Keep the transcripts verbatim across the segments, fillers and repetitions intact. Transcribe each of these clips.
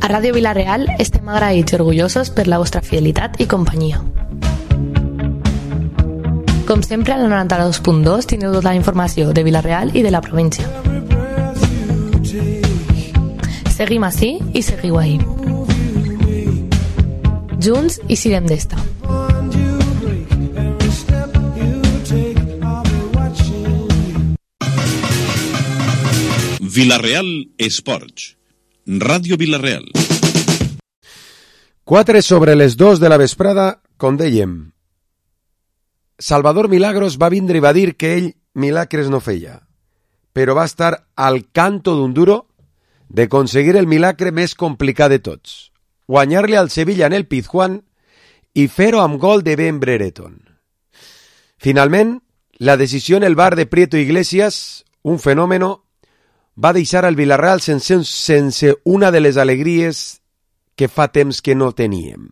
A Ràdio Vila-real estem agraïts i orgullosos per la vostra fidelitat i companyia. Com sempre, a la noranta-dos punt dos tindreu tota la informació de Vila-real i de la província. Seguim ací i seguiu ahí. Junts i siguem d'esta. Vila-real Esports. Ràdio Vila-real. Quatre sobre les dos de la vesprada, com dèiem. Salvador Milagros va vindre i va dir que ell milagres no feia, però va estar al canto d'un duro de aconseguir el milagre més complicat de tots, guanyar-li al Sevilla en el Pizjuán i fer-ho amb gol de Ben Brereton. Finalment, la decisió en el bar de Prieto Iglesias, un fenòmeno, va deixar al Vila-real sense, sense una de les alegries que fa temps que no teníem.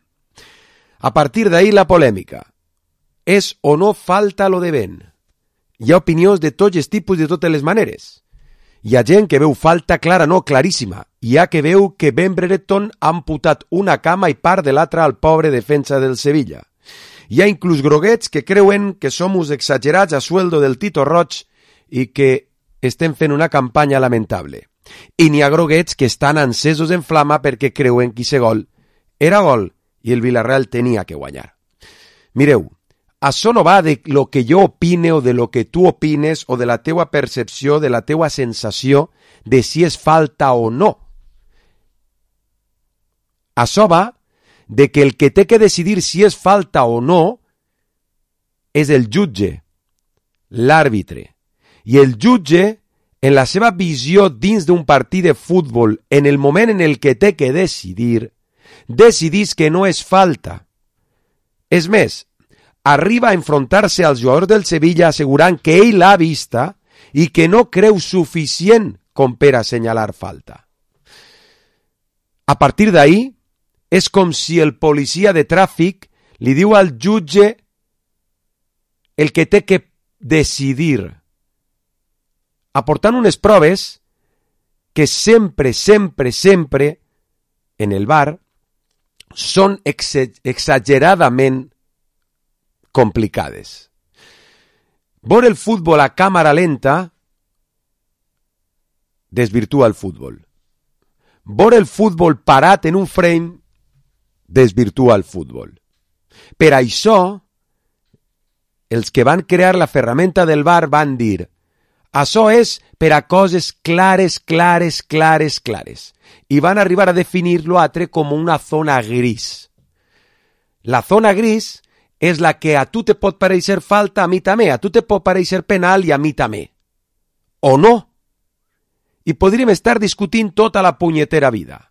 A partir d'ahir la polèmica. És o no falta lo de Ben? Hi ha opinions de tots els tipus de totes les maneres. Hi ha gent que veu falta clara, no, claríssima. Hi ha que veu que Ben Brereton ha amputat una cama i part de l'altra al pobre defensa del Sevilla. Hi ha inclús groguets que creuen que som uns exagerats a sueldo del Tito Roig i que estem fent una campanya lamentable. I n'hi ha groguets que estan encesos en flama perquè creuen que aquest gol era gol i el Vila-real tenia que guanyar. Mireu, això no va de lo que jo opine o de lo que tu opines o de la teua percepció, de la teua sensació de si és falta o no. Això va de que el que té que decidir si és falta o no és el jutge, l'àrbitre. I el jutge, en la seva visió dins d'un partit de futbol, en el moment en el que té que decidir, decidís que no és falta. És més, arriba a enfrontar-se als jugadors del Sevilla assegurant que ell l'ha vista i que no creu suficient com per assenyalar falta. A partir d'ahí, és com si el policia de tràfic li diu al jutge el que té que decidir, aportant unes proves que sempre, sempre, sempre, en el bar, són ex- exageradament complicades. Veure el futbol a càmera lenta desvirtua el futbol. Veure el futbol parat en un frame desvirtua el futbol. Per això, els que van crear la ferramenta del bar van dir: això és per a coses clares, clares, clares, clares. I van arribar a definir l'altre com una zona gris. La zona gris és la que a tu te pot pareixer falta, a mi també, a tu te pot pareixer penal i a mi també. O no. I podríem estar discutint tota la punyetera vida.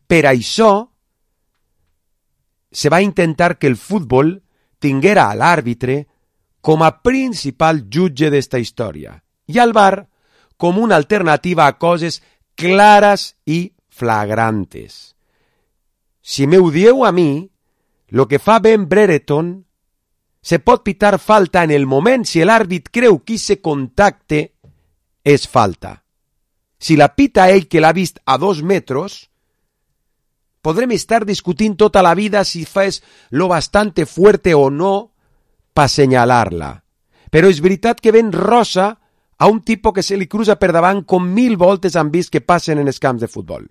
Per això se va intentar que el futbol tinguera a l'àrbitre com a principal jutge d'esta història i al bar com una alternativa a coses clares i flagrantes. Si m'ho dieu a mi, lo que fa Ben Brereton se pot pitar falta en el moment si l'àrbit creu que ese contacte és falta. Si la pita ell que l'ha vist a dos metres, podrem estar discutint tota la vida si fes lo bastante fuerte o no pa senyalar-la. Però és veritat que Ben rosa a un tipus que se li cruza per davant com mil voltes han vist que passen en els camps de futbol.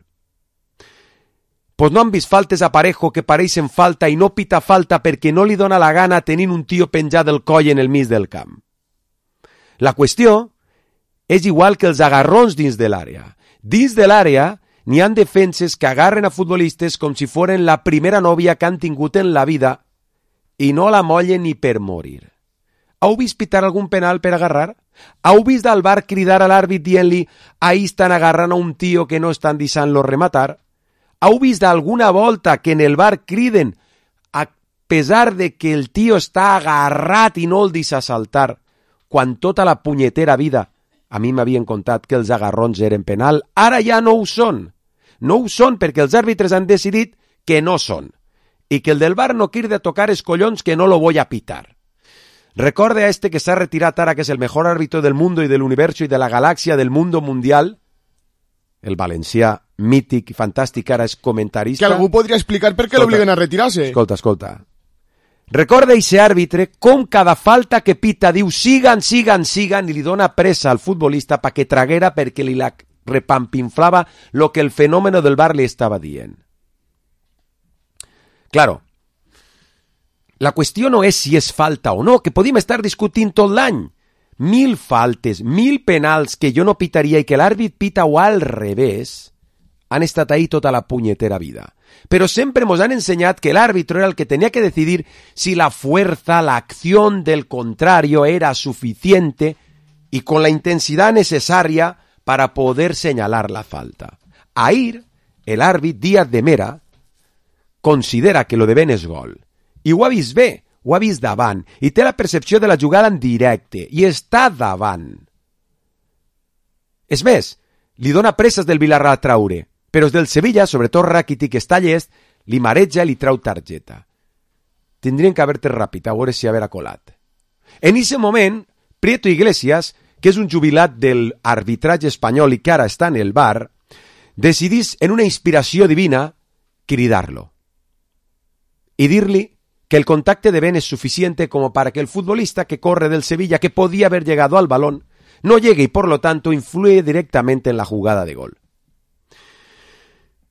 Pues no han vist faltes a Parejo que pareixen falta i no pita falta perquè no li dona la gana tenint un tio penjat del coll en el mig del camp. La qüestió és igual que els agarrons dins de l'àrea. Dins de l'àrea n'hi ha defenses que agarren a futbolistes com si foren la primera nòvia que han tingut en la vida i no la mollen ni per morir. Heu vist pitar algun penal per agarrar? Heu vist al bar cridar a l'àrbit dient-li ahí estan agarrant a un tio que no estan deixant-lo rematar? Heu vist alguna volta que en el bar criden a pesar de que el tio està agarrat i no el deixa saltar, quan tota la punyetera vida a mi m'havien contat que els agarrons eren penal, ara ja no ho són. No ho són perquè els àrbitres han decidit que no són i que el del bar no quiere tocar els collons que no lo voy a pitar. Recorde a este que s'ha retirat ara, que és el mejor árbitro del mundo y del universo y de la galaxia del mundo mundial, el valencià mític i fantàstic, ara és comentarista. Que algú podria explicar per què l'obliguen a retirar-se. Escolta, escolta. Recorda ese àrbitre com cada falta que pita diu sigan, sigan, sigan i li dona pressa al futbolista pa que traguera perquè li la repampinflava lo que el fenómeno del bar li estava dient. Claro, la qüestió no és si és falta o no, que podíem estar discutint tot l'any. Mil faltes, mil penals que jo no pitaria i que l'àrbit pita o al revés, han estat ahí tota la punyetera vida. Pero siempre nos han enseñado que el árbitro era el que tenía que decidir si la fuerza, la acción del contrario era suficiente y con la intensidad necesaria para poder señalar la falta. Ahir, el árbit Díaz de Mera considera que lo de Ben és gol. I ho ha vist bé, ho ha vist davant, i té la percepció de la jugada en directe, i està davant. És més, li dona presses del Villarreal a traure, però els del Sevilla, sobretot Rakitic, que està llest, li mareja i li trau targeta. Tindrien que haver-te ràpid, a veure si haver colat. En ese moment, Prieto Iglesias, que és un jubilat del arbitratge espanyol i que ara està en el bar, decidís, en una inspiració divina, cridar-lo y dir-li que el contacte de Ben es suficiente como para que el futbolista que corre del Sevilla, que podía haber llegado al balón, no llegue y por lo tanto influye directamente en la jugada de gol.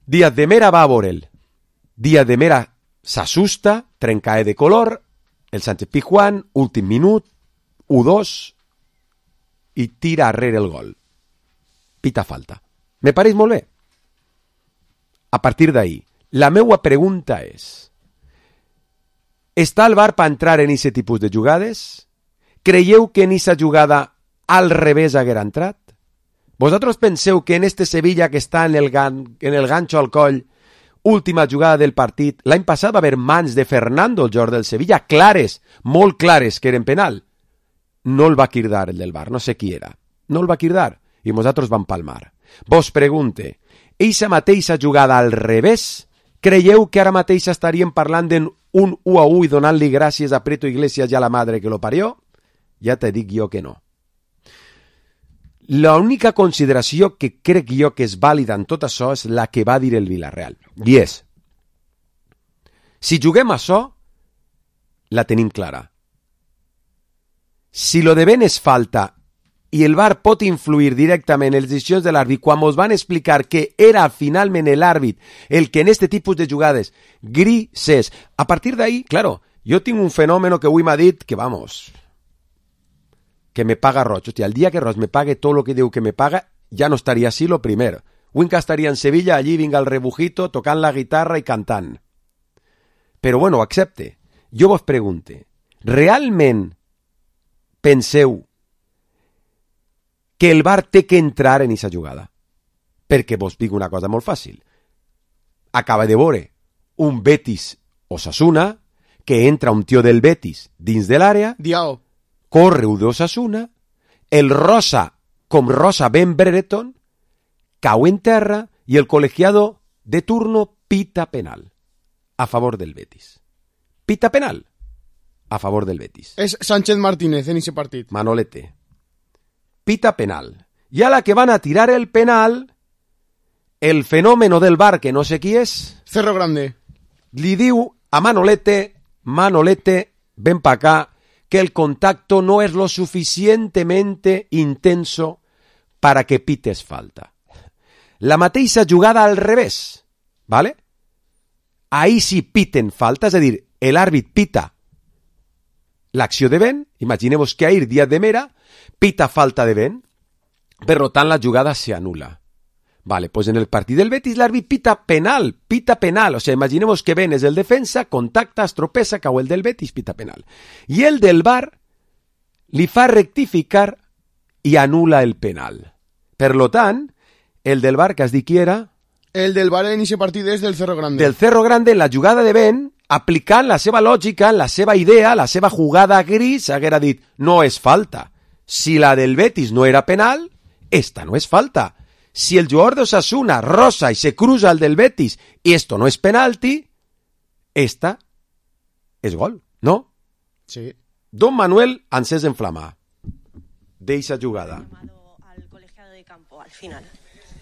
Díaz de Mera va a por él. Díaz de Mera s'assusta, trencae de color, el Sánchez Pizjuán, últim minut, u dos, i tira arrere el gol. Pita falta. Me pareix molt bé. A partir d'ahí, la meua pregunta és: està el bar per entrar en aquest tipus de jugades? Creieu que en aquesta jugada al revés haguera entrat? Vosaltres penseu que en este Sevilla que està en el, gan, en el gancho al coll, última jugada del partit, l'any passat va haver mans de Fernando, el jugador del Sevilla, clares, molt clares, que eren penal. No el va cridar el del bar, no sé qui era. No el va cridar, i nosaltres vam palmar. Vos pregunte, eixa mateixa jugada al revés, creieu que ara mateix estaríem parlant d'un u a u i donant-li gràcies a Prieto Iglesias i a la madre que lo parió? Ja te dic jo que no. L'única consideració que crec jo que és vàlida en tot això és la que va dir el Villarreal. I és, si juguem això, la tenim clara. Si lo de Ben és falta i el V A R pot influir directament en les decisions de l'àrbit quan ens van explicar que era finalment l'àrbit el que en este tipus de jugades grises. A partir d'ahí, claro, jo tinc un fenòmeno que avui m'ha dit que, vamos, que me paga Roig. Hòstia, el dia que Roig me pague tot lo que diu que me paga, ja no estaria així lo primer. Winca estaria en Sevilla, allí vinga el rebujito, tocant la guitarra i cantant. Però bueno, accepte. Jo vos pregunte, realment penseu que el V A R té que entrar en aquesta jugada? Perquè vos dic una cosa molt fàcil. Acaba de veure un Betis Osasuna, que entra un tio del Betis dins de l'àrea, Diao. corre un d'Osasuna, el rosa, com rosa Ben Brereton, cau en terra i el col·legiado de turno pita penal a favor del Betis. Pita penal a favor del Betis. És Sánchez Martínez en ese partit. Manolete. Pita penal. Y a la que van a tirar el penal, el fenómeno del V A R, que no sé qui és, Cerro Grande. li diu a Manolete, Manolete, ven pa acá, que el contacto no es lo suficientemente intenso para que pites falta. La mateixa jugada al revés, ¿vale? Ahí sí piten falta, és a dir, l'àrbit pita l'acció de Ben, imaginemos que ahir Díaz de Mera pita falta de Ben, per tant la jugada se anula. Vale, pues en el partit del Betis l'àrbit pita penal, pita penal, o sea, imaginemos que Ben és el defensa, contacta, estropesa, cau el del Betis, pita penal. I el del V A R li fa rectificar i anula el penal. Per lo tant, el del V A R que has dit qui era? El del V A R en ese partit és del Cerro Grande. Del Cerro Grande, en la jugada de Ben, aplicant la seva lògica, la seva idea, la seva jugada gris, haguera dit, no és falta. Si la del Betis no era penal, esta no és falta. Si el jugador de Osasuna rosa y se cruza al del Betis y esto no es penalti, esta es gol, ¿no? Sí. Don Manuel Ansés en flama de esa jugada. Al colegiado de campo al final.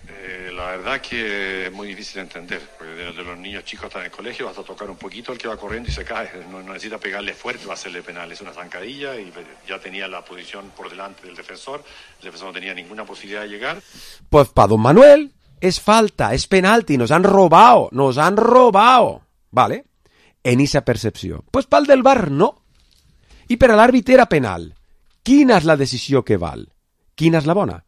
Eh, la verdad que es muy difícil de entender, porque de, de los niños chicos están en el colegio, hasta tocar un poquito, el que va corriendo y se cae, no, no necesita pegarle fuerte, va a hacerle penal, es una zancadilla y ya tenía la posición por delante del defensor, el defensor no tenía ninguna posibilidad de llegar. Pues para don Manuel es falta, es penalti, nos han robado, nos han robado, ¿vale? En esa percepció. Pues pel del V A R no. I per a l'àrbit era penal. Quina és la decisió que val? Quina és la bona?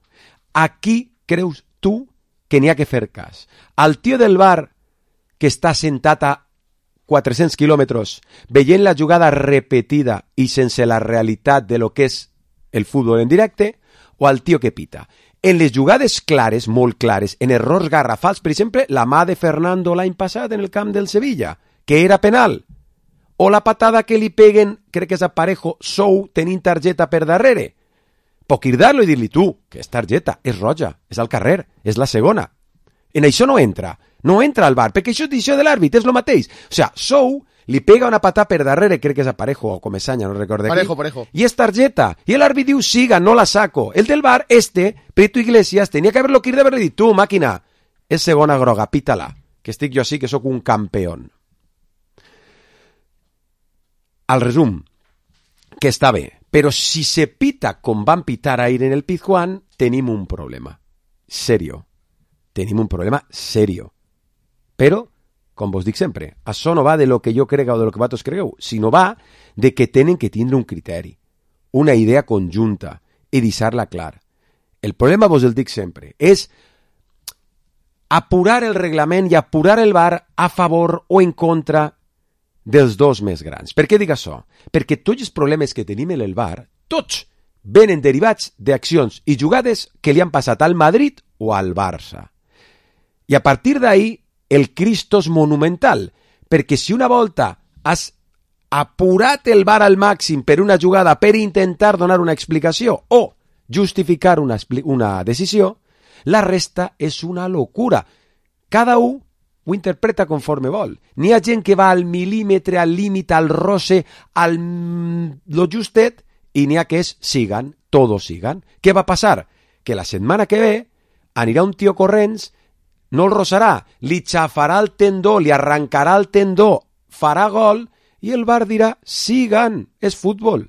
A qui creus tu que n'hi ha que fer cas? Al tio del V A R que està sentat a quatre-cents quilòmetres veient la jugada repetida i sense la realitat de lo que és el futbol en directe, o al tio que pita? En les jugades clares, molt clares, en errors garrafals, per exemple, la mà de Fernando l'any passat en el camp del Sevilla, que era penal, o la patada que li peguen, crec que és a Parejo, Sou, tenint targeta per darrere. Puc cridar-lo i dir-li, tu, que és targeta, és roja, és al carrer, és la segona. En això no entra, no entra al V A R, perquè això és decisió de l'àrbit, és el mateix. O sigui, Sou li pega una patada per darrere, crec que és a Parejo o Comesaña, no recordo. Parejo, Parejo. I és targeta. I l'àrbit diu, siga, no la saco. El del V A R, este, Prieto Iglesias, tenia que haver-lo cridado haver-li dit, tu, màquina, és segona groga, pítala, que estic jo així, que sóc un campeón. Al resum, que està bé, però si se pita com van pitar ahir en el Pizjuán, tenim un problema. Serio. Tenim un problema serio. Però, com vos dic sempre, això no va de lo que jo crega o de lo que vosaltres cregueu, sinó va de que tenen que tindre un criteri, una idea conjunta i deixar-la clar. El problema, vos el dic sempre, és apurar el reglament i apurar el V A R a favor o en contra dels dos més grans. Per què dic això? Perquè tots els problemes que tenim en el V A R, tots venen derivats d'accions i jugades que li han passat al Madrid o al Barça. I a partir d'ahí, el Cristo és monumental, perquè si una volta has apurat el V A R al màxim per una jugada per intentar donar una explicació o justificar una, una decisió, la resta és una locura. Cada un ho interpreta conforme vol. N'hi ha gent que va al mil·límetre, al límit, al roce, al lo justet, i n'hi ha que és sigan, todos sigan. Què va passar? Que la setmana que ve anirà un tio corrents, no el rosarà, li xafarà el tendó, li arrancarà el tendó, farà gol, i el V A R dirà, sigan, és futbol.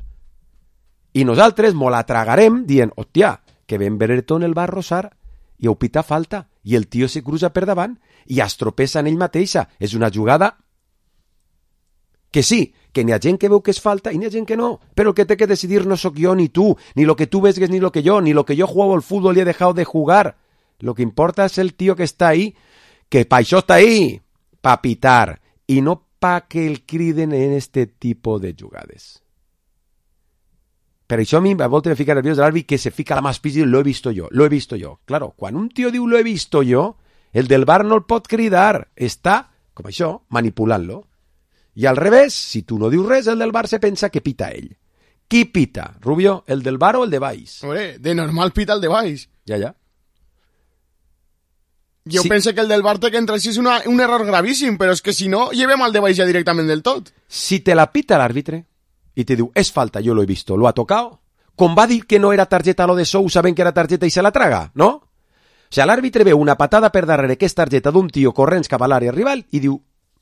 I nosaltres mo la tragarem dient, hòstia, que ben Brereton el va rosar, i ho pita falta, i el tio se cruza per davant, i es tropessa en ell mateixa. És una jugada que sí, que n'hi ha gent que veu que és falta i n'hi ha gent que no, però el que té que decidir no sóc jo ni tu, ni lo que tu vesgues ni lo que jo, ni lo que jo juego al fútbol i he dejado de jugar. Lo que importa és el tio que està ahí, que pa això està ahí, pa pitar, i no pa que el criden en este tipo de jugades. Per això a mi a voltes me fica nerviós de l'àrbit que se fica la mà al pis i lo he visto yo, lo he visto yo. Claro, quan un tio diu lo he visto yo, el del V A R no el pot cridar, està, com això, manipulant-lo. I al revés, si tu no dius res, el del V A R se pensa que pita ell. Qui pita, Rubio, el del V A R o el de Baix? Hombre, de normal pita el de Baix. Ja, ja. Jo sí. penso que el del V A R té que entrar així és una, un error gravíssim, però és que si no, llevem el de Baix ja directament del tot. Si te la pita l'àrbitre i te diu, és falta, yo lo he visto, lo ha tocado, com va dir que no era targeta lo de Sou, saben que era targeta i se la traga, no? O sigui, l'àrbitre veu una patada per darrere que és targeta d'un tio corrents cap a l'àrea rival i diu,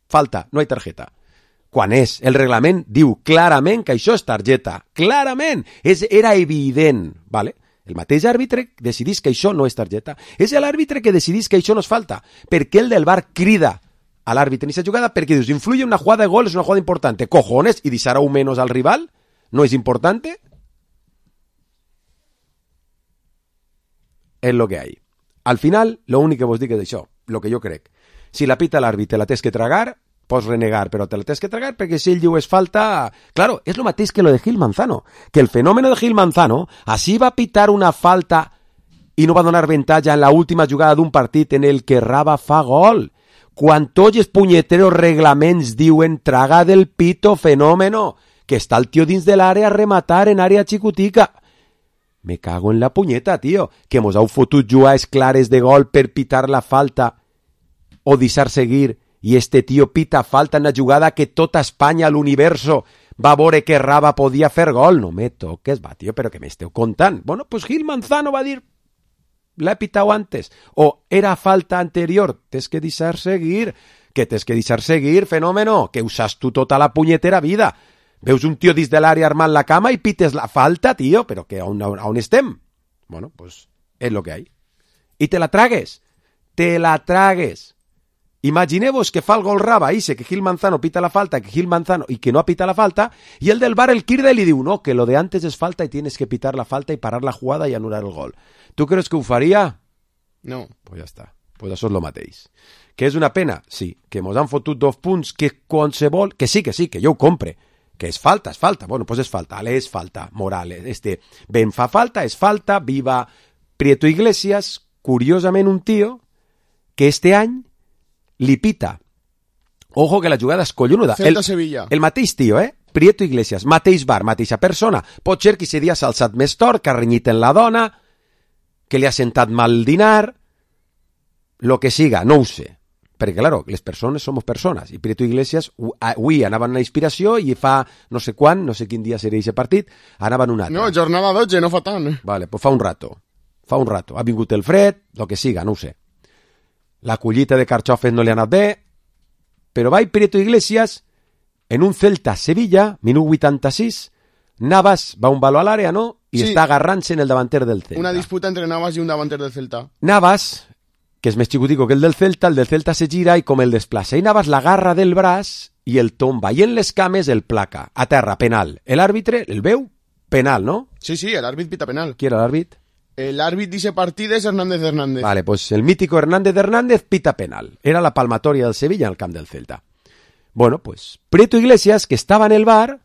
falta, no hi targeta. Quan és, el reglament diu clarament que això és targeta, clarament, és, era evident, ¿vale? El mateix àrbitre decidís que això no és targeta. És l'àrbitre que decidís que això no és falta. Perquè el del V A R crida a l'àrbitre en aquesta jugada perquè dius, influye una jugada de gol, és una jugada importante. Cojones, y deixarà un menos al rival? ¿No es importante? És lo que hay. Al final, lo únic que vos dic és això, lo que jo crec. Si la pita l'àrbitre la tens que tragar, pots renegar, però te la tens que tragar perquè si ell diu és falta... Claro, és lo mateix que lo de Gil Manzano, que el fenómeno de Gil Manzano así va a pitar una falta i no va donar avantatge en la última jugada d'un partit en el que Raba fa gol. Quan tots els punyeteros reglaments diuen traga del pito fenómeno, que està el tio dins de l'àrea a rematar en àrea xicotica. Me cago en la punyeta, tio, que mos heu fotut jugades clares de gol per pitar la falta o deixar seguir i este tio pita falta en la jugada que tota Espanya, l'universo, va veure que Raba podia fer gol. No me toques, va, tio, però que m'esteu contant. Bueno, pues Gil Manzano va dir la he pitado antes, o era falta anterior, tens que deixar seguir, que tens que deixar seguir, fenómeno, que usas tu tota la punyetera vida. Veus un tio dins de l'àrea armant la cama i pites la falta, tio, però que on, on, on estem? Bueno, pues és lo que hay. I te la tragues, te la tragues. Imagineu-vos que fa el gol Raba, dice que Gil Manzano pita la falta, que Gil Manzano y que no pita la falta, y el del bar, el Kirda, li diu, no, que lo de antes es falta y tienes que pitar la falta y parar la jugada y anular el gol. ¿Tú crees que ho faria? No. Pues ja està. Pues això és lo mateix. Que és una pena? Sí. Que mos han fotut dos punts que qualsevol... Que sí, que sí, que jo ho compre. Que és falta, és falta. Bueno, pues és falta. Ale, és falta. Morales. Este, ben fa falta, és falta. Viva Prieto Iglesias. Curiosament un tio que este any li pita. Ojo que la jugada és collonuda. Celta Sevilla. El mateix tio, eh? Prieto Iglesias, mateix bar, mateixa persona. Pot ser que ese dia s'ha alçat més tort, que ha renyit en la dona, que li ha sentat mal el dinar, lo que siga, no ho sé. Perquè, claro, les persones som persones. I Prieto Iglesias, avui anava en la inspiració i fa no sé quan, no sé quin dia seria aquest partit, anava en un altre. No, jornada dotze, no fa tant. Vale, pues fa un rato. Fa un rato. Ha vingut el fred, lo que siga, no ho sé. La collita de carxofes no li ha anat bé, però va Prieto Iglesias en un Celta-Sevilla, minut vuitanta-sis, Navas va un balo a l'àrea, no? I sí. Està agarrant-se en el davanter del Celta. Una disputa entre Navas i un davanter del Celta. Navas, que és més xicutico que el del Celta, el del Celta se gira i com el desplaça. I Navas l'agarra del braç i el tomba. I en les cames el placa. A terra, penal. L'àrbitre, el veu? Penal, no? Sí, sí, l'àrbit pita penal. Qui era l'àrbit? El árbitro dice partido es Hernández Hernández. Vale, pues el mítico Hernández Hernández pita penal. Era la palmatoria del Sevilla en el camp del Celta. Bueno, pues Prieto Iglesias, que estava en el bar,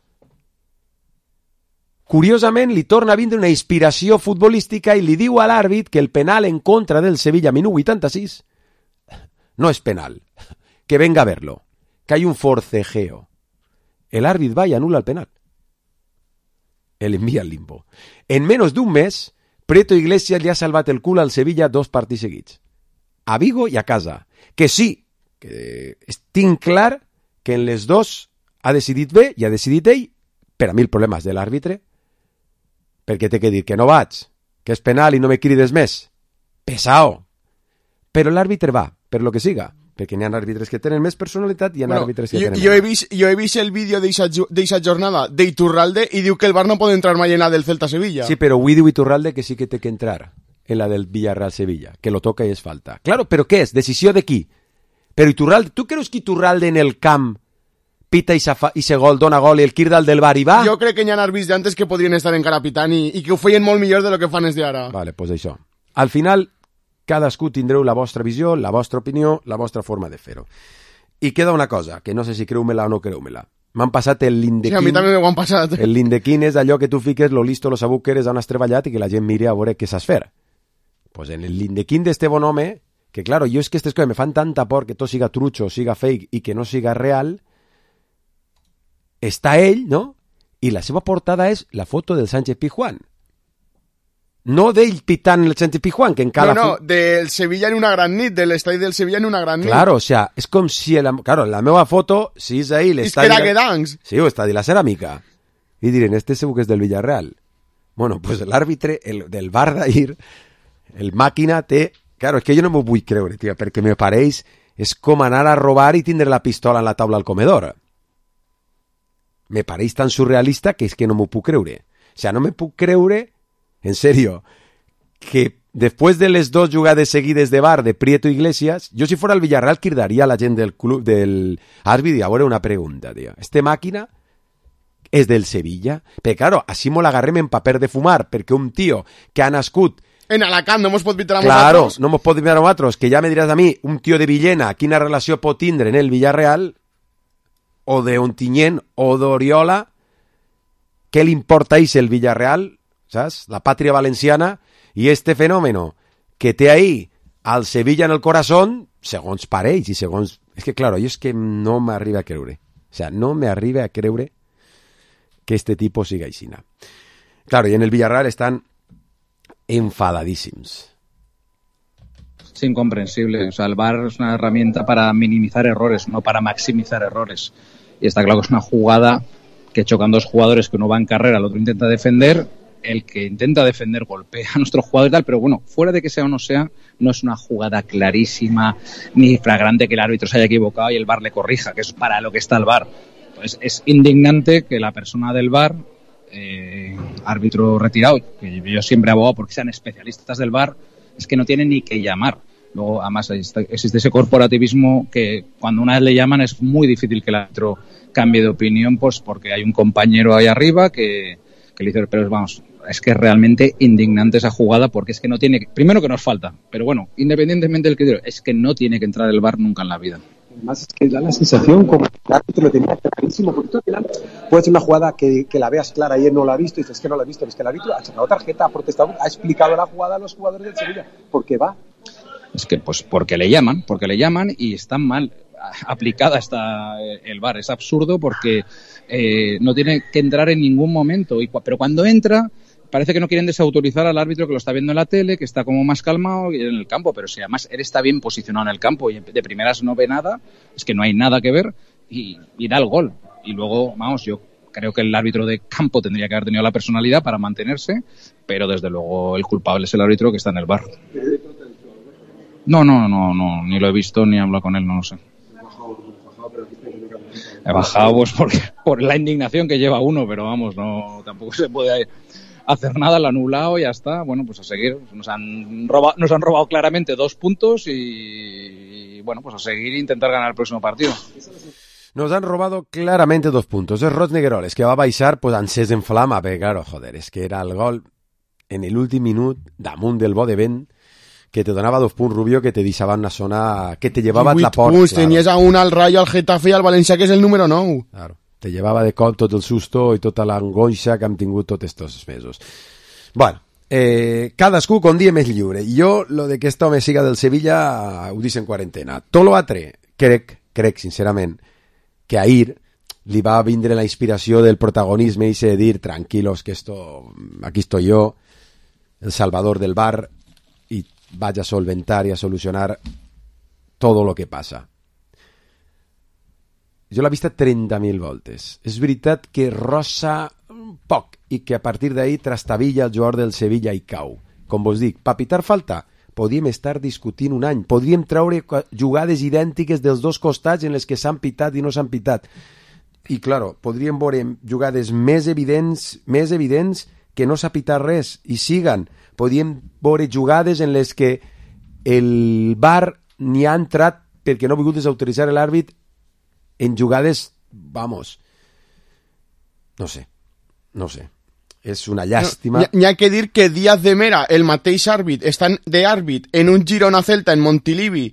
curiosament li torna a vindre una inspiració futbolística i li diu a l'àrbit que el penal en contra del Sevilla, minut vuitanta-sis, no és penal, que venga a verlo, que hay un forcejeo. El árbitro va y anula el penal. El envía al limbo. En menos d'un mes, Prieto Iglesias li ha salvat el cul al Sevilla dos partits seguits. A Vigo i a casa. Que sí, que tinc clar que en les dos ha decidit bé i ha decidit ell, per a mi el problema és de l'àrbitre, perquè té que dir que no vaig, que és penal i no me crides més. Pesao. Però l'àrbitre va, per lo que siga, perquè n'hi ha àrbitres que tenen més personalitat i hi ha bueno, àrbitres que jo, tenen jo més. he vist, jo he vist el vídeo d'eixa jornada d'Iturralde i diu que el Bar no pot entrar mai en la del Celta-Sevilla. Sí, però avui diu Iturralde que sí que té que entrar en la del Villarreal-Sevilla, que lo toca i és falta. Claro, però què és? Decisió de qui? Però Iturralde, tu creus que Iturralde en el camp pita i se gol, dona gol i el Kirdal del bar i va? Jo crec que hi ha àrbits d'antes que podrien estar encara pitant i, i que ho feien molt millor de lo que fan els d'ara. Vale, pues això. Al final, cadascú tindreu la vostra visió, la vostra opinió, la vostra forma de fer-ho. I queda una cosa, que no sé si creu-me-la o no creu-me-la. M'han passat el Lindequín. Sí, a mi també m'ho han passat. El Lindequín és allò que tu fiques lo listo, lo sabut que eres, on has treballat i que la gent miri a veure què saps fer. Pues en el Lindequín d'este bon home, que claro, jo és que aquestes coses me fan tanta por que tot siga trucho, siga fake i que no siga real, està ell, no? I la seva portada és la foto del Sánchez Pizjuán. No d'ell pitant el Sánchez Pizjuán, que encara... No, no, del Sevilla en una gran nit, de l'estadi del Sevilla en una gran nit. Claro, o sea, és com si... La, claro, la meva foto, si és ahí l'estadi... És que era Guedancs. Sí, o estadi la ceràmica. I diren, este segur que és del Villarreal. Bueno, pues l'àrbitre el, del bar d'ahir, el màquina té... Claro, és que jo no m'ho vull creure, tio, perquè me pareix... És com anar a robar i tindre la pistola en la taula al comedor. Me pareix tan surrealista que és que no m'ho puc creure. O sea, no me puc creure, en serio, que después de les dos jugades seguides de bar de Prieto Iglesias, yo si fuera el Villarreal quirdaría a la gent del club del árbitro y ahora una pregunta, tío. Este máquina és del Sevilla? Però claro, així mo l'agarrem en paper de fumar, perquè un tio que ha nascut en Alacant no mos pot pitar a claro, nosaltres. no mos pot pitar a nosaltres, que ja me diràs a mi, un tio de Villena, quina relació pot tindre en el Villarreal, o de Ontinyent, o d'Oriola, què li importa a el Villarreal, saps? La pàtria valenciana, i este fenómeno que té ahí al Sevilla en el corazón, segons pareix i segons... És que, claro, jo és que no m'arriba a creure. O sea, no m'arriba a creure que este tipo siga aixina. Claro, y en el Villarreal están enfadadísimos. Es incomprensible. O sea, el V A R es una herramienta para minimizar errores, no para maximizar errores. Y está claro que es una jugada que chocan dos jugadores que uno va en carrera, el otro intenta defender el que intenta defender golpea a nuestro jugador y tal, pero bueno, fuera de que sea o no sea, no es una jugada clarísima ni flagrante que el árbitro se haya equivocado y el V A R le corrija, que es para lo que está el V A R. Pues es indignante que la persona del V A R, eh, árbitro retirado, que yo siempre he abogado porque sean especialistas del V A R, es que no tienen ni que llamar. Luego, además, existe ese corporativismo que cuando una vez le llaman es muy difícil que el árbitro cambie de opinión, pues porque hay un compañero ahí arriba que, que le dice, pero vamos, es que es realmente indignante esa jugada porque es que no tiene, primero que nos falta, pero bueno, independientemente del criterio, es que no tiene que entrar el V A R nunca en la vida. Además es que da la sensación como que el árbitro lo tenía clarísimo, porque tú al final puede ser una jugada que, que la veas clara y él no la ha visto y dices que no la ha visto, es que el árbitro ha sacado tarjeta, ha protestado, ha explicado la jugada a los jugadores del Sevilla, ¿por qué va? Es que pues porque le llaman, porque le llaman y está mal aplicada esta, el V A R, es absurdo porque eh, no tiene que entrar en ningún momento, y, pero cuando entra parece que no quieren desautorizar al árbitro que lo está viendo en la tele, que está como más calmado en el campo, pero si además él está bien posicionado en el campo y de primeras no ve nada, es que no hay nada que ver y, y da el gol. Y luego, vamos, yo creo que el árbitro de campo tendría que haber tenido la personalidad para mantenerse, pero desde luego el culpable es el árbitro que está en el V A R. No, no, no, no, ni lo he visto ni he hablado con él, no lo sé. He bajado pues porque, por la indignación que lleva uno, pero vamos, no tampoco se puede hacer nada, lo anulado y ya está. Bueno, pues a seguir. Nos han robado, nos han robado claramente dos puntos y, y bueno, pues a seguir e intentar ganar el próximo partido. Nos han robado claramente dos puntos. Es Roig Negueroles, que va a baixar pues, encès en flama, perquè, claro, joder, és que era el gol en l'últim minut damunt del bo de vent que te donava dos punts, Rubio, que te deixava una zona que te llevava la porta. Punts, claro. Tenies a un al Rayo, al Getafe i al València, que és el número nou. Claro, te llevava de cop tot el susto i tota l'angoixa que hem tingut tots estos mesos. Bueno, eh, cadascú con dia més lliure. I jo, lo de que este home siga del Sevilla, ho dic en quarantena. Tot l'altre, crec, crec, sincerament, que ahir li va vindre la inspiració del protagonisme i de dir, tranquilos, que esto, aquí estoy yo, el salvador del bar, y vaya a solventar y a solucionar todo lo que passa. Jo l'he vista trenta mil voltes. És veritat que rossa un poc i que a partir d'ahir trastavilla el jugador del Sevilla i cau. Com vos dic, pa pitar falta, podríem estar discutint un any. Podríem treure jugades idèntiques dels dos costats en les que s'han pitat i no s'han pitat. I, claro, podríem veure jugades més evidents, més evidents que no s'ha pitat res i siguen. Podríem veure jugades en les que el V A R ni ha entrat perquè no ha volgut desautoritzar l'àrbit en jugades, vamos, no sé, no sé. És una llàstima. No, n'hi ha que dir que Díaz de Mera, el mateix àrbit, estan d'àrbit en un Girona-Celta en Montilivi,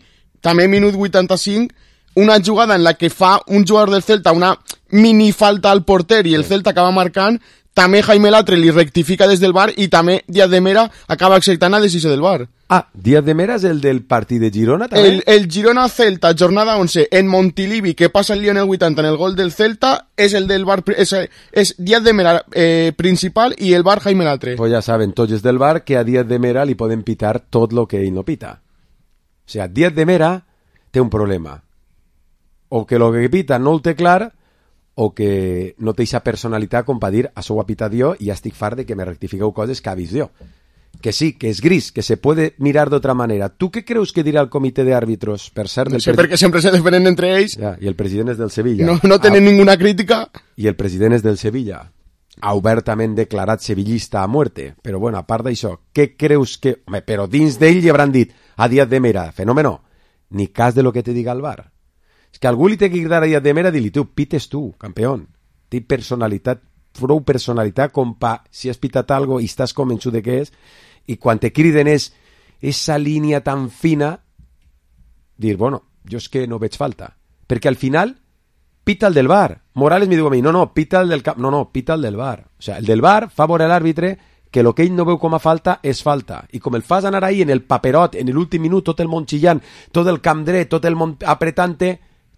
també minut vuitanta-cinc, una jugada en la que fa un jugador del Celta una mini falta al porter i el Celta acaba marcant, també Jaime Latre li rectifica des del V A R i també Díaz de Mera acaba acceptant la decisió del V A R. Ah, Díaz de Mera és el del partit de Girona també? El, el Girona-Celta, jornada once, en Montilivi, que passa el lío en el vuitanta en el gol del Celta, és el del V A R, és, és Díaz de Mera eh, principal i el V A R Jaime Latre. Pues ja saben tots els del V A R que a Díaz de Mera li poden pitar tot lo que ell no pita. O sea, Díaz de Mera té un problema. O que lo que pita no el té clar, o que no té aquesta personalitat com per dir això ho ha pitat jo i ja estic fart de que me rectifiqueu coses que ha vist jo. Que sí, que és gris, que se puede mirar d'otra manera. Tu què creus que dirà el comitè d'àrbitros? Per cert, no sé, perquè sempre se defenen entre ells. Ja, i el president és del Sevilla. No, no tenen ah, ninguna crítica. I el president és del Sevilla. Ha obertament declarat sevillista a muerte. Però bueno, a part d'això, què creus que... Home, però dins d'ell li hauran dit a Díaz de Mera, fenómeno, ni cas de lo que te diga el V A R. És que algú li té que cridar a Díaz de Mera i dir-li, tu, pites tu, campeón. Té personalitat, prou personalitat com pa, si has pitat algo i estàs convençut de què és, i quan te criden és esa línia tan fina, dir, bueno, jo és que no veig falta. Perquè al final, pita el del V A R. Morales me diu a mi, no, no, pita el del camp, no, no, pita el del V A R. O sea, el del V A R fa veure a l'àrbitre que el que ell no veu com a falta és falta. I com el fas anar ahí en el paperot, en l'últim minut, tot el món xillant, tot el camp dret, tot el món apretante,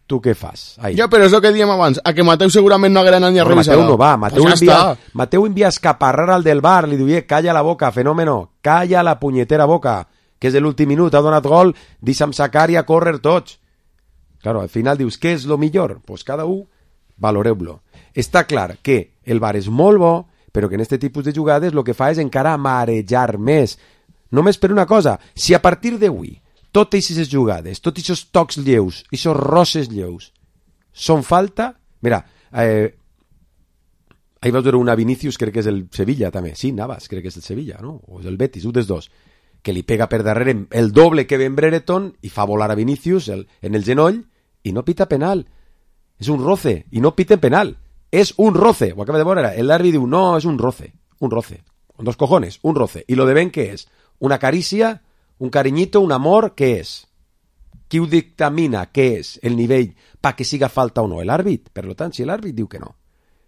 tu què fas? Ahí. Ja, però és el que diem abans, a que Mateu segurament no haguera anat ni a no, revisar. Mateu no va, Mateu, pues envia, Mateu envia a escaparrar al del V A R, li diu, calla la boca, fenómeno, calla la punyetera boca, que és l'últim minut, ha donat gol, deixa'm sacar i a córrer tots. Claro, al final dius, què és lo millor? Pues cada un valoreu-lo. Està clar que el V A R és molt bo, però que en aquest tipus de jugades el que fa és encara marejar més. Només per una cosa, si a partir d'avui totes aquestes jugades, tots aquests tocs lleus, aquests rosses lleus, són falta... Mira, eh, ahir vaig veure una Vinícius, crec que és el Sevilla també, sí, Navas, crec que és el Sevilla, no? O és el Betis, un dels dos, que li pega per darrere el doble que Ben Brereton i fa volar a Vinícius el, en el genoll i no pita penal. És un roce, i no piten penal. És un roce, ho acaba de veure, l'àrbitre diu, no, és un roce, un roce, con dos cojones, un roce. I lo de Ben, què és? Una carícia, un cariñito, un amor, què és? Qui ho dictamina? Què és el nivell pa que siga falta o no? L'àrbit. Per tant, si l'àrbit diu que no,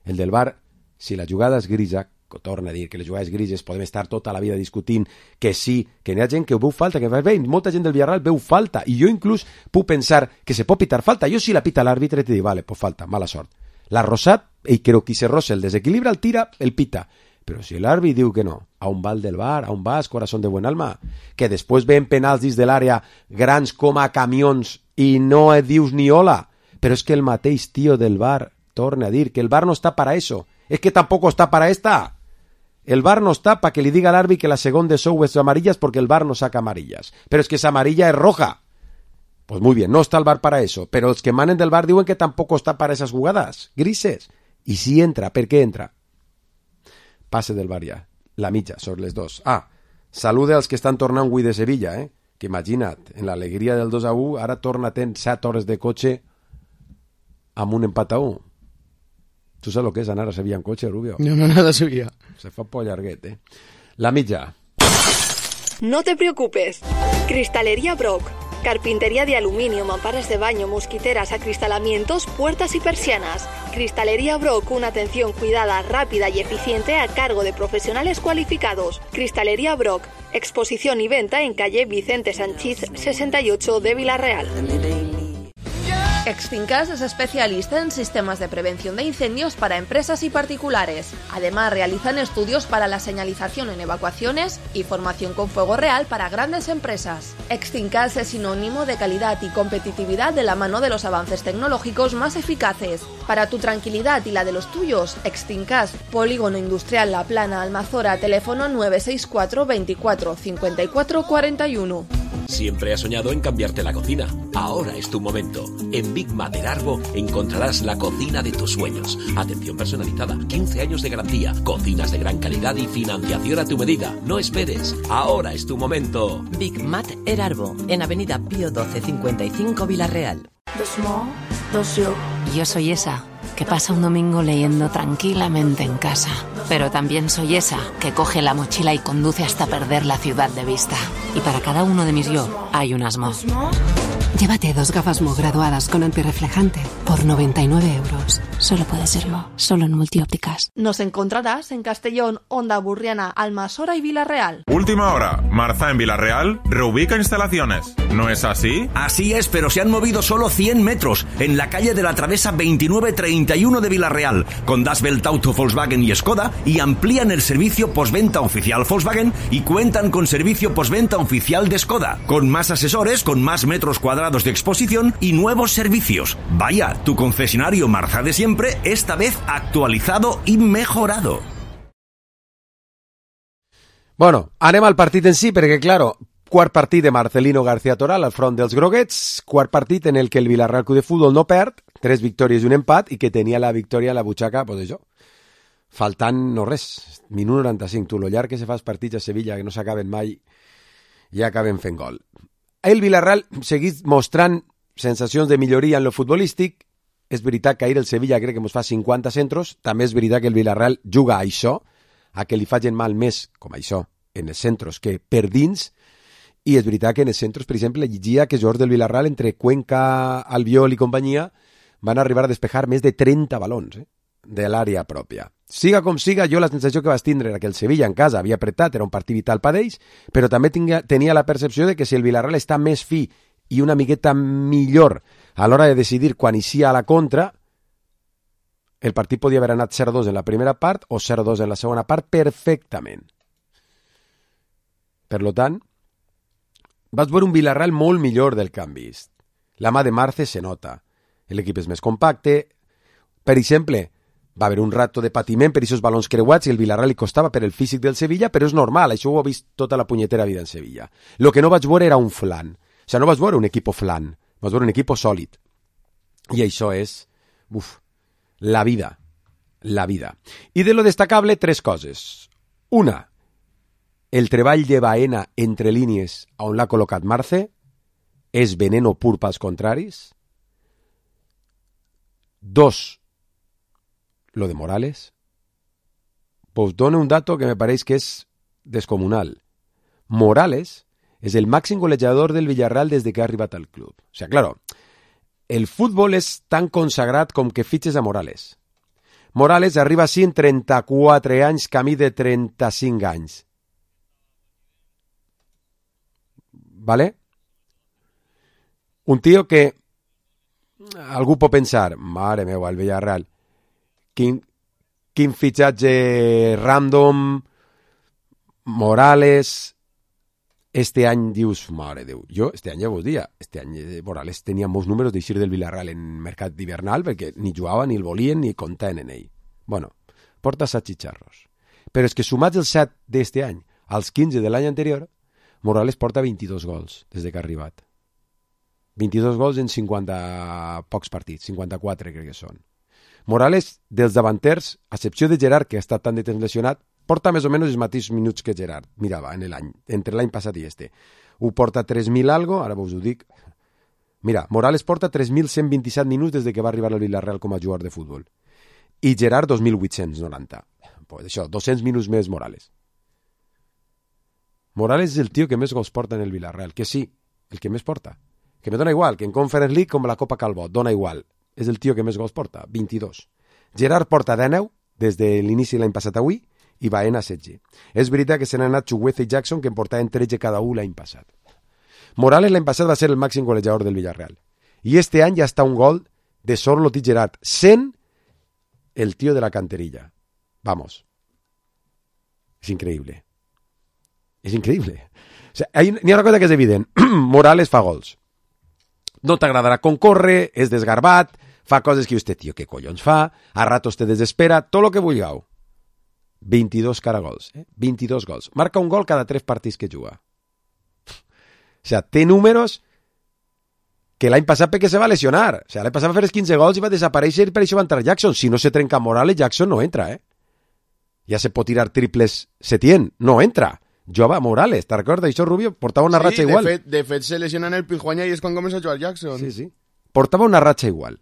el del V A R, si la jugada és grisa, que torna a dir que les jugades grises podem estar tota la vida discutint que sí, que n'hi ha gent que ho veu falta, que bé, molta gent del Villarreal veu falta, i jo inclús puc pensar que se pot pitar falta. Jo si la pita l'àrbitre te dic, vale, pues falta, mala sort. L'ha rosat, i creu que se rosa el desequilibra, el tira, el pita. Però si l'àrbit diu que no, a un val del V A R, a un vas, corazón de buen alma, que després ven penals dins de l'àrea grans com a camions i no et dius ni hola, però és que el mateix tio del V A R torna a dir que el V A R no està para eso, es que tampoco está para esta. El V A R no está para que le diga al árbitro que la segunda show es amarillas porque el V A R no saca amarillas, pero es que esa amarilla es roja. Pues muy bien, no está el V A R para eso, pero los que manen del V A R diuen que tampoco está para esas jugadas grises. Y si entra, ¿per qué entra? Passe del V A R ja, la mitja, sobre les dos. Ah, salude als que estan tornant avui de Sevilla, eh? Que imagina't, en l'alegria del dos a u, ara torna ten set hores de cotxe amb un empat a u. Tu saps el que és anar a Sevilla en cotxe, Rubio? No, no, nada a Sevilla. Se fa por llarguet, eh? La mitja. No te preocupes. Cristalería Brock. Carpintería de aluminio, mamparas de baño, mosquiteras, acristalamientos, puertas y persianas. Cristalería Brock, una atención cuidada, rápida y eficiente a cargo de profesionales cualificados. Cristalería Brock, exposición y venta en calle Vicente Sanchís sesenta y ocho de Villarreal. Extincas es especialista en sistemas de prevención de incendios para empresas y particulares. Además, realizan estudios para la señalización en evacuaciones y formación con fuego real para grandes empresas. Extincas es sinónimo de calidad y competitividad de la mano de los avances tecnológicos más eficaces. Para tu tranquilidad y la de los tuyos, Extincas, Polígono Industrial La Plana, Almazora, teléfono nueve seis cuatro veinticuatro cincuenta y cuatro cuarenta y uno. Siempre has soñado en cambiarte la cocina. Ahora es tu momento. En Big Mat Erarbo encontrarás la cocina de tus sueños. Atención personalizada, quince años de garantía, cocinas de gran calidad y financiación a tu medida. No esperes. Ahora es tu momento. Big Mat Erarbo, en Avenida Pío doce cincuenta y cinco Villarreal. Dos mo, dos yo. Yo soy esa que pasa un domingo leyendo tranquilamente en casa. Pero también soy esa que coge la mochila y conduce hasta perder la ciudad de vista. Y para cada uno de mis yo hay unas mo. Llévate dos gafas Mo graduadas con antirreflejante por noventa y nueve euros. Solo puede ser Mo, solo en Multiópticas. Nos encontrarás en Castellón, Onda Burriana, Almasora y Villarreal. Última hora. Marza en Villarreal reubica instalaciones. ¿No es así? Así es, pero se han movido solo cien metros en la calle de la Travesa veintinueve treinta y uno de Villarreal, con Das Welt Auto Volkswagen y Skoda, y amplían el servicio postventa oficial Volkswagen y cuentan con servicio postventa oficial de Skoda, con más asesores, con más metros cuadrados de exposición y nuevos servicios. Vaya, tu concesionario Marza de siempre, esta vez actualizado y mejorado. Bueno, anem al partit en si, perquè, claro, quart partit de Marcelino García Toral al front dels groguets, quart partit en el que el Villarreal Club de Futbol no perd, tres victòries i un empat, i que tenia la victòria a la butxaca, pues això, faltant no res, minut noranta-cinc, tu, lo llarg que se fa els partits a Sevilla, que no s'acaben mai, ja acaben fent gol. El Villarreal seguís mostrant sensacions de milloria en lo futbolístic. És veritat que ahir el Sevilla crec que ens fa cinquanta centros, també és veritat que el Villarreal juga a això, a que li facin mal més, com això, en els centros que per dins, i és veritat que en els centros, per exemple, llegia que jugadors del Villarreal entre Cuenca, Albiol i companyia van arribar a despejar més de trenta balons, eh, de l'àrea pròpia. Siga com siga, jo la sensació que vaig tindre era que el Sevilla en casa havia apretat, era un partit vital per ells, però també tenia, tenia la percepció de que si el Villarreal està més fi i una miqueta millor a l'hora de decidir quan inicia a la contra, el partit podia haver anat zero dos en la primera part o zero dos en la segona part perfectament. Per tant, vaig veure un Villarreal molt millor del que han vist. La mà de Marce se nota. L'equip és més compacte. Per exemple, Va haver un rato de patiment per aquests balons creuats i el Villarreal li costava per el físic del Sevilla, però és normal, això ho he vist tota la punyetera vida en Sevilla. Lo que no vaig veure era un flan. O sigui, no vaig veure un equip flan, vaig veure un equip sòlid. I això és, uf, la vida, la vida. I de lo destacable, tres coses. Una, el treball de Baena entre línies on l'ha col·locat Marce és veneno pur pels contraris. Dos, lo de Morales. Pues dono un dato que me parece que es descomunal. Morales es el máximo golejador del Villarreal desde que ha arribat al club. O sea, claro, el fútbol és tan consagrat com que fitxes a Morales. Morales arriba així en trenta-quatre anys, camí de trenta-cinc anys. ¿Vale? Un tío que algú pot pensar, mare meva, el Villarreal, quin, quin fitxatge random, Morales, este any dius, mare Déu, jo este any ja vos dia, este any Morales tenia molts números d'eixir del Villarreal en mercat d'hivernal perquè ni jugava, ni el volien, ni comptaven en ell. Bueno, porta set xicharros. Però és que sumats els set d'este any als quinze de l'any anterior, Morales porta vint-i-dos gols des que ha arribat. vint-i-dos gols en cinquanta pocs partits, cinquanta-quatre crec que són. Morales, dels davanters, a excepció de Gerard, que ha estat tan de temps lesionat, porta més o menys els mateixos minuts que Gerard. Mirava, en l'any, entre l'any passat i este. Ho porta tres mil algo, ara vos ho dic. Mira, Morales porta tres mil cent vint-i-set minuts des de que va arribar al Villarreal com a jugador de futbol. I Gerard dos mil vuit-cents noranta. Pues això, dos-cents minuts més Morales. Morales és el tio que més gols porta en el Villarreal, que sí, el que més porta. Que me dona igual, que en Conference League com la Copa Calbot, dona igual. És el tio que més gols porta, vint-i-dos. Gerard porta dinou des de l'inici de l'any passat avui i Baena setze. És veritat que se n'han anat Chugueza i Jackson, que en portaven tretze cada un l'any passat. Morales l'any passat va ser el màxim golejador del Villarreal. I este any ja està un gol de Sorloth i Gerard, sent el tio de la canterilla. Vamos. És increïble. És increïble. O sea, hay, n'hi ha una cosa que és evident. Morales fa gols. No t'agradarà com corre, és desgarbat, fa coses que usted, tio, què collons fa, a ratos te desespera, tot lo que vulgueu. vint-i-dos caragols, eh? vint-i-dos gols. Marca un gol cada tres partits que juga. O sea, té números que l'any passat perquè se va lesionar. O sea, l'any passat va fer els quinze gols i va desaparèixer i per això va entrar Jackson. Si no se trenca Morales, Jackson no entra, eh? Ja se pot tirar triples Setién, no entra. Jova Morales, te'n recordes? Això Rubio portava una sí, ratxa igual. Sí, de fet se lesiona en el Pijuanya i és quan comença a jugar Jackson. Sí, sí. Portava una ratxa igual.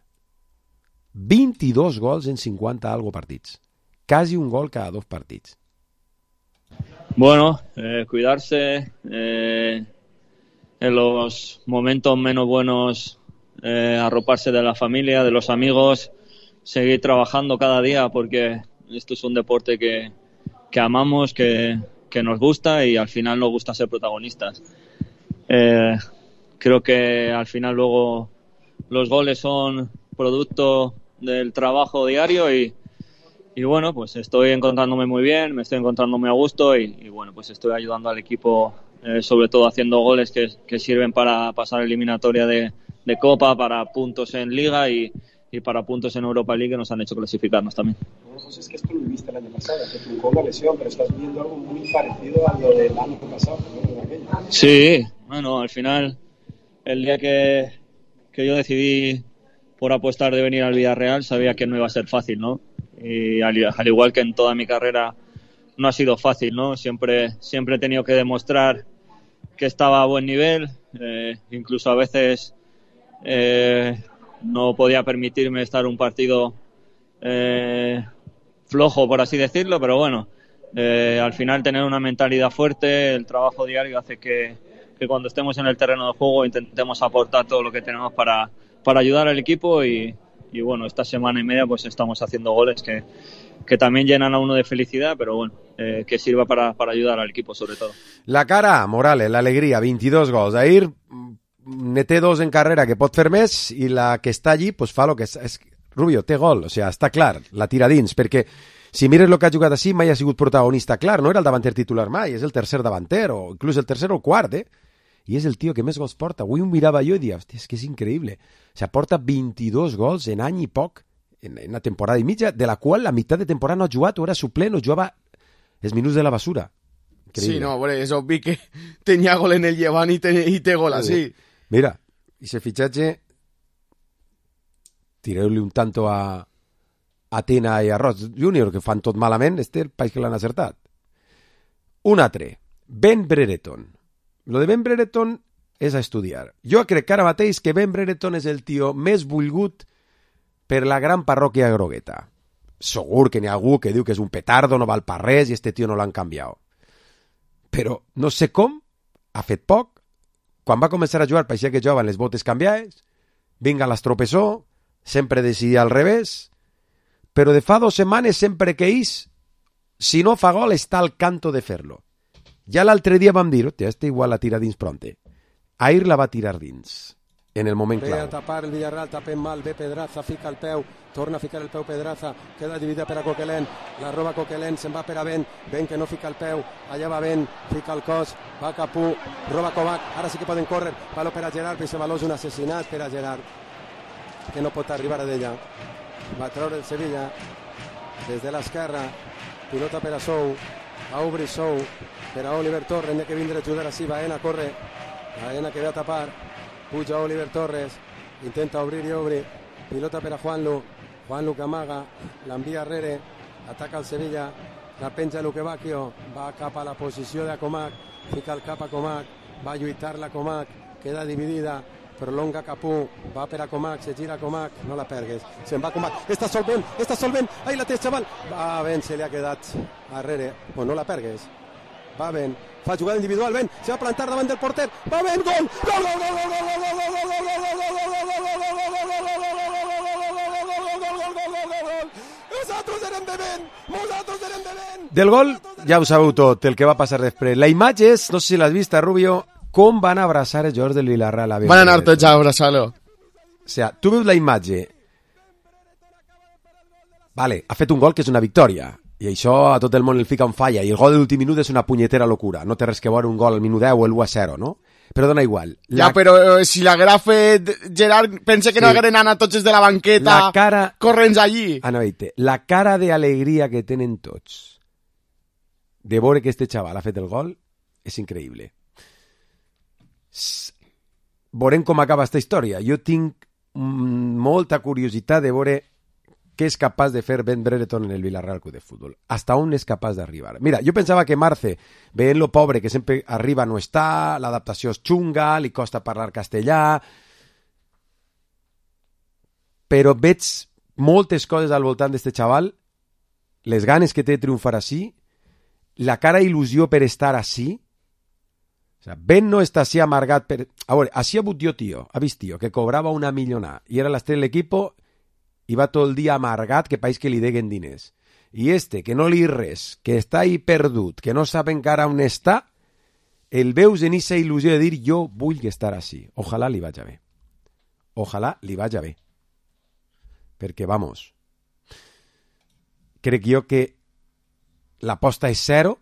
vint-i-dos gols en cinquanta algo partits. Casi un gol cada dos partits. Bueno, eh, cuidarse eh, en los momentos menos buenos, eh, arroparse de la familia, de los amigos, seguir trabajando cada día porque esto es un deporte que, que amamos, que que nos gusta y al final nos gusta ser protagonistas. Eh, creo que al final luego los goles son producto del trabajo diario y, y bueno, pues estoy encontrándome muy bien, me estoy encontrándome a gusto y, y bueno, pues estoy ayudando al equipo, eh, sobre todo haciendo goles que, que sirven para pasar eliminatoria de, de Copa, para puntos en Liga y, y para puntos en Europa League que nos han hecho clasificarnos también. Pues es que esto lo viviste el año pasado, que tuvo una lesión, pero estás viendo algo muy parecido a lo del año pasado, ¿no? De aquello. Sí, bueno, al final, el día que, que yo decidí por apostar de venir al Villarreal, sabía que no iba a ser fácil, ¿no? Y al, al igual que en toda mi carrera, no ha sido fácil, ¿no? Siempre, siempre he tenido que demostrar que estaba a buen nivel, eh, incluso a veces eh, no podía permitirme estar un partido eh, flojo, por así decirlo, pero bueno, eh, al final tener una mentalidad fuerte, el trabajo diario hace que, que cuando estemos en el terreno de juego intentemos aportar todo lo que tenemos para, para ayudar al equipo y, y bueno, esta semana y media pues estamos haciendo goles que, que también llenan a uno de felicidad, pero bueno, eh, que sirva para, para ayudar al equipo sobre todo. La cara, Morales, l'alegria, vint-i-dos gols. Ahir ne té dos en carrera que pot fer més i la que està allí pues fa lo que és, és Rubio, té gol, o sigui, està clar, la tira dins, perquè si mires el que ha jugat així mai ha sigut protagonista clar, no era el davanter titular mai, és el tercer davanter, o inclús el tercer o el quart, eh? I és el tio que més gols porta. Avui ho mirava jo i dia, hòstia, és que és increïble. O sigui, porta vint-i-dos gols en any i poc en una temporada i mitja, de la qual la meitat de temporada no ha jugat, o era suplent, o jugava els minuts de la basura. Increïble. Sí, no, bueno, és obvi que tenia gol en el Llevant i té, i té gol així. Mira, i ese fitxatge, tireu-li un tanto a Atena i a Ross Júnior, que fan tot malament, este el país que l'han acertat. Un altre, Ben Brereton. Lo de Ben Brereton és a estudiar. Jo crec que ara mateix que Ben Brereton és el tio més volgut per la gran parròquia grogueta. Segur que n'hi ha algú que diu que és un petardo, no val per res i este tio no l'han canviat. Però no sé com, ha fet poc, quan va començar a jugar pareixia que jugaven les botes canviades, vinga l'estropessó, sempre decidia al revés, però de fa dues setmanes sempre que és, si no fa gol està al canto de fer-lo. Ja l'altre dia vam dir, hòstia, este igual la tira dins pronte. Ahir la va tirar dins, en el moment clau. Ve a tapar el Villarreal, tapem mal, ve Pedraza, fica el peu, torna a ficar el peu Pedraza, queda dividida per a Coquelin, la roba Coquelin, se'n va per a Ben, Ben que no fica el peu, allà va Ben, fica el cos, va Capú, roba Kovac, ara sí que poden córrer, palo per a Gerard, però aquest valor és un assassinat per a Gerard, que no pot arribar a d'ella. Va treure el Sevilla des de l'esquerra, pilota per a Sou, va obrir Sou per a Oliver Torres, n'ha que vindre a ajudar així, Baena corre, Baena que ve a tapar, puja Oliver Torres, intenta obrir i obrir, pilota per a Juanlu, Juanlu que amaga, l'envia arrere, ataca el Sevilla, la penja Luque Bacchio, va cap a la posició de Comac, fica el cap a Comac, va lluitar la Comac, queda dividida, prolonga Capú, va per a Comac, se gira Comac, no la pergues, se'n va Comac, està solvent, està solvent, ahí la té, xaval, va ben, se li ha quedat arrere, pues no la pergues, va ben, fa jugada individual, ben, se va plantar davant del porter, va ben, gol, gol, gol, gol, gol, gol, gol, gol, gol, gol, gol, nosaltres érem de Ben, nosaltres érem de Ben. Del gol ja ho sabeu tot, el que va passar després. La imatge és, no sé si l'has vist, Rubio, com van abraçar els jugadors del Villarreal. Van anar tots a abraçar-lo. O sea, tu veus la imatge. Vale, ha fet un gol que és una victòria. I això a tot el món el fica en falla. I el gol de l'últim minut és una punyetera locura. No té res que veure un gol al minut deu o el u a zero, no? Però dona igual. La... Ja, però eh, si l'haguera fet Gerard, pense que sí. No hagueren anat tots de la banqueta la cara... corrents allí. Ana, veite, la cara d'alegria que tenen tots de veure que este xaval ha fet el gol és increïble. Veurem com acaba esta història. Jo tinc molta curiositat de veure què és capaç de fer Ben Brereton en el Villarreal Club de Futbol. Hasta on és capaç d'arribar. Mira, jo pensava que Marce, veient lo pobre que sempre arriba no està, l'adaptació és xunga, li costa parlar castellà, però veig moltes coses al voltant d'este xaval, les ganes que té de triomfar així, la cara il·lusió per estar així. O sea, Ben no està així amargat per... A veure, així ha hagut jo, tio, ha vist, tio, que cobrava una milionà i era l'estrella de l'equipo i va tot el dia amargat que país que li deguen diners. I este, que no li res, que està ahí perdut, que no sap encara on està, el veus en aquesta il·lusió de dir jo vull estar així. Ojalà li vaja bé. Ojalà li vaja bé. Perquè, vamos, crec jo que l'aposta és zero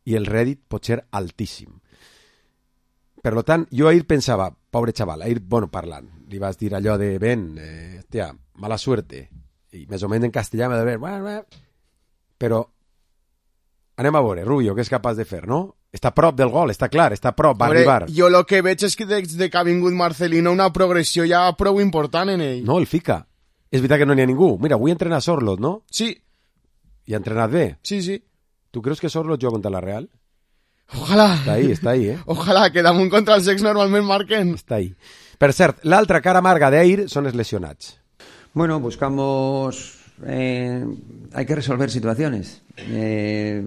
i el rèdit pot ser altíssim. Per tant, jo ahir pensava, pobre xaval, ahir, bueno, parlant, li vas dir allò de, Ben, eh, tia, mala suerte, i més o menys en castellà m'ha de dir, bueno, bueno, però anem a veure, Rubio, què és capaç de fer, no? Està a prop del gol, està clar, està a prop, va Hombre, arribar. Jo el que veig és que des que ha vingut Marcelino una progressió ja prou important en ell. No, el fica. És veritat que no n'hi ha ningú. Mira, avui entrena Sorlot, no? Sí. I ha entrenat bé? Sí, sí. Tu creus que Sorlot juga contra la Real? Ojalà. Està ahí, està ahí, eh? Ojalà, que damunt contra els ex normalment marquen. Està ahí. Per cert, l'altra cara amarga d'ahir són els lesionats. Bueno, buscamos... Eh, hay que resolver situaciones. Eh,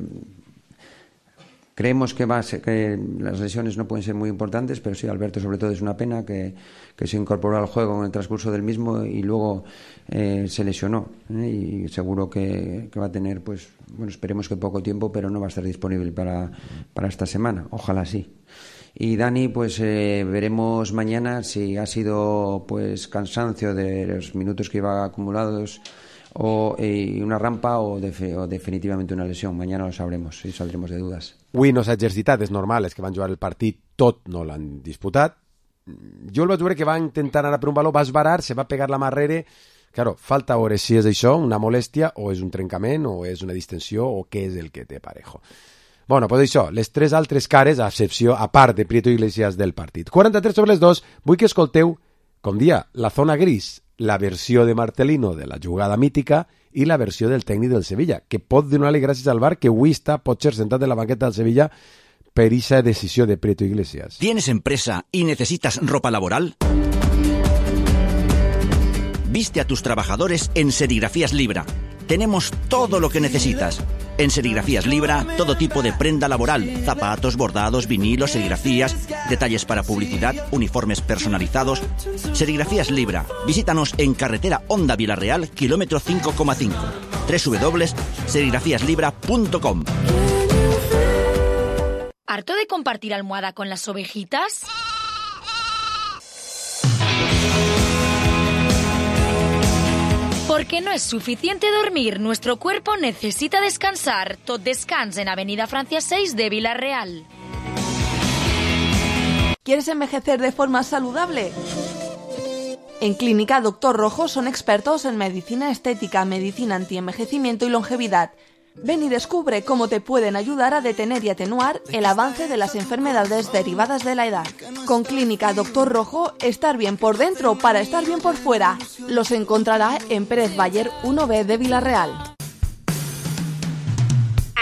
creemos que, va a ser, que las lesiones no pueden ser muy importantes, pero sí, Alberto sobre todo es una pena que, que se incorporó al juego en el transcurso del mismo y luego eh, se lesionó. ¿eh? Y seguro que, que va a tener, pues, bueno, esperemos que poco tiempo, pero no va a estar disponible para, para esta semana. Ojalá sí. Y Dani, pues eh, veremos mañana si ha sido pues cansancio de los minutos que iba acumulados o eh, una rampa o, de, o definitivamente una lesión. Mañana lo sabremos y saldremos de dudas. Avui no s'ha exercitat, és normal, és que van jugar el partit, tot no l'han disputat. Jo el vaig veure que va intentar anar per un baló, va esbarar, se va pegar la mà arrere, Claro, falta veure si és això, una molèstia, o és un trencament, o és una distensió, o què és el que té Parejo. Bueno, pues això, les tres altres cares, a excepció, a part de Prieto Iglesias del partit. quaranta-tres sobre les dos, vull que escolteu, com dia, la zona gris, la versió de Marcelino de la jugada mítica i la versió del tècnic del Sevilla, que pot donar-li gràcies al VAR, que avui està, potser, sentat en la banqueta del Sevilla per esa decisió de Prieto Iglesias. ¿Tienes empresa y necesitas ropa laboral? Viste a tus trabajadores en Serigrafías Libra. Tenemos todo lo que necesitas. En Serigrafías Libra, todo tipo de prenda laboral, zapatos, bordados, vinilos, serigrafías, detalles para publicidad, uniformes personalizados. Serigrafías Libra. Visítanos en carretera Honda Villarreal, kilómetro cinco coma cinco. doble u doble u doble u punto serigrafías libra punto com. ¿Harto de compartir almohada con las ovejitas? Porque no es suficiente dormir, nuestro cuerpo necesita descansar. Tot Descans en Avenida Francia seis de Villarreal. ¿Quieres envejecer de forma saludable? En Clínica Doctor Rojo son expertos en medicina estética, medicina antienvejecimiento y longevidad. Ven y descubre cómo te pueden ayudar a detener y atenuar el avance de las enfermedades derivadas de la edad. Con Clínica Doctor Rojo, estar bien por dentro para estar bien por fuera. Los encontrará en Pérez Bayer uno B de Villarreal.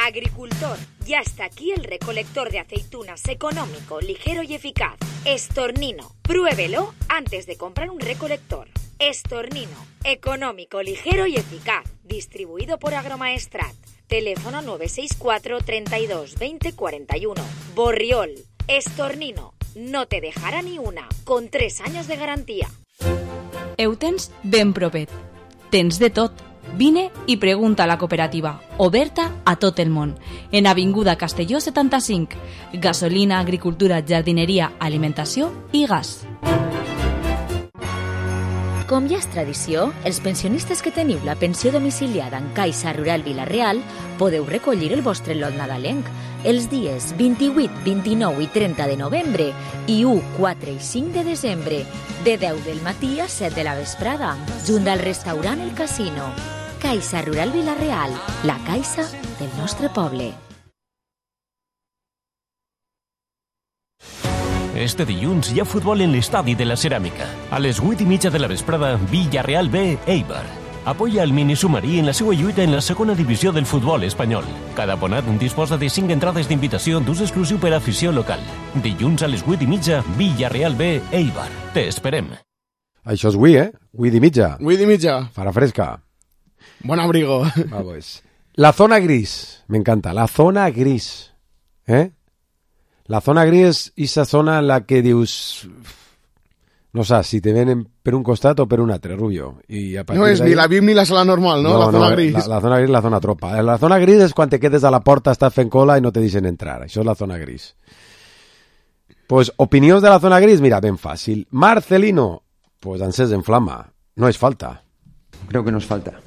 Agricultor, ya está aquí el recolector de aceitunas económico, ligero y eficaz. Estornino, pruébelo antes de comprar un recolector. Estornino, económico, ligero y eficaz. Distribuido por Agromaestrat. Teléfono nueve seis cuatro, treinta y dos, veinte, cuarenta y uno. Borriol, Estornino, no te dejará ni una, con tres años de garantía. Ho tens ben propet. Tens de tot. Vine i pregunta a la cooperativa, oberta a tot el món. En Avinguda Castelló setanta-cinc. Gasolina, agricultura, jardineria, alimentació i gas. Com ja és tradició, els pensionistes que teniu la pensió domiciliada en Caixa Rural Vila-real podeu recollir el vostre lot nadalenc els dies vint-i-vuit, vint-i-nou i trenta de novembre i u, quatre i cinc de desembre, de deu del matí a set de la vesprada, junt al restaurant El Casino. Caixa Rural Vila-real, la caixa del nostre poble. Este dilluns hi ha futbol en l'estadi de la Ceràmica. A les vuit i mitja de la vesprada, Villarreal B, Eibar. Apoya el minisubmarí en la seva lluita en la segona divisió del futbol espanyol. Cada abonat disposa de cinc entrades d'invitació d'ús exclusiu per a afició local. Dilluns a les vuit i mitja, Villarreal B, Eibar. Te esperem. Això és avui, eh? vuit i mitja. vuit i mitja. Farà fresca. Buen abrigo. Vamos. La zona gris. Me encanta. La zona gris. ¿Eh? La zona gris és esa zona en la que dius... No saps si te venen per un costat o per un altre, Rubio. I a no és ni la V I P ni la sala normal, no? no la zona no, gris. La, la zona gris és la zona tropa. La zona gris és quan te quedes a la porta, estàs fent cola i no te deixen entrar. Això és la zona gris. Pues, opinions de la zona gris, mira, ben fàcil. Marcelino, pues encès en flama. No es falta. Creo que nos falta.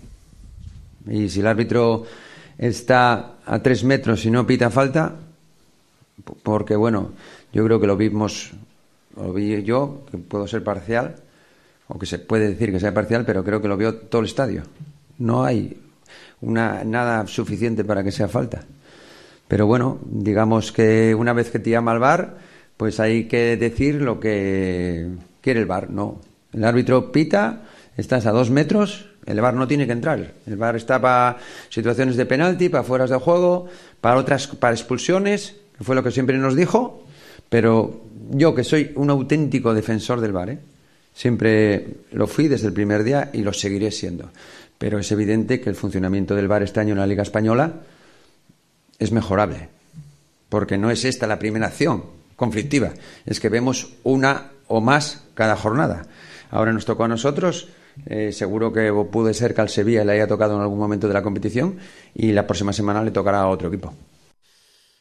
Y si el árbitro está a tres metros y no pita falta, porque bueno, yo creo que lo vimos, lo vi yo, que puedo ser parcial, o que se puede decir que sea parcial, pero creo que lo vio todo el estadio. No hay una, nada suficiente para que sea falta. Pero bueno, digamos que una vez que te llama el V A R, pues hay que decir lo que quiere el V A R. No, el árbitro pita, estás a dos metros, el V A R no tiene que entrar. El V A R está para situaciones de penalti, para fueras de juego, para otras, para expulsiones, que fue lo que siempre nos dijo. Pero yo, que soy un auténtico defensor del V A R, ¿eh? Siempre lo fui desde el primer día y lo seguiré siendo. Pero es evidente que el funcionamiento del V A R este año en la Liga Española es mejorable, porque no es esta la primera acción conflictiva, es que vemos una o más cada jornada. Ahora nos tocó a nosotros, eh, seguro que puede ser que al Sevilla le haya tocado en algún momento de la competición y la próxima semana le tocará a otro equipo.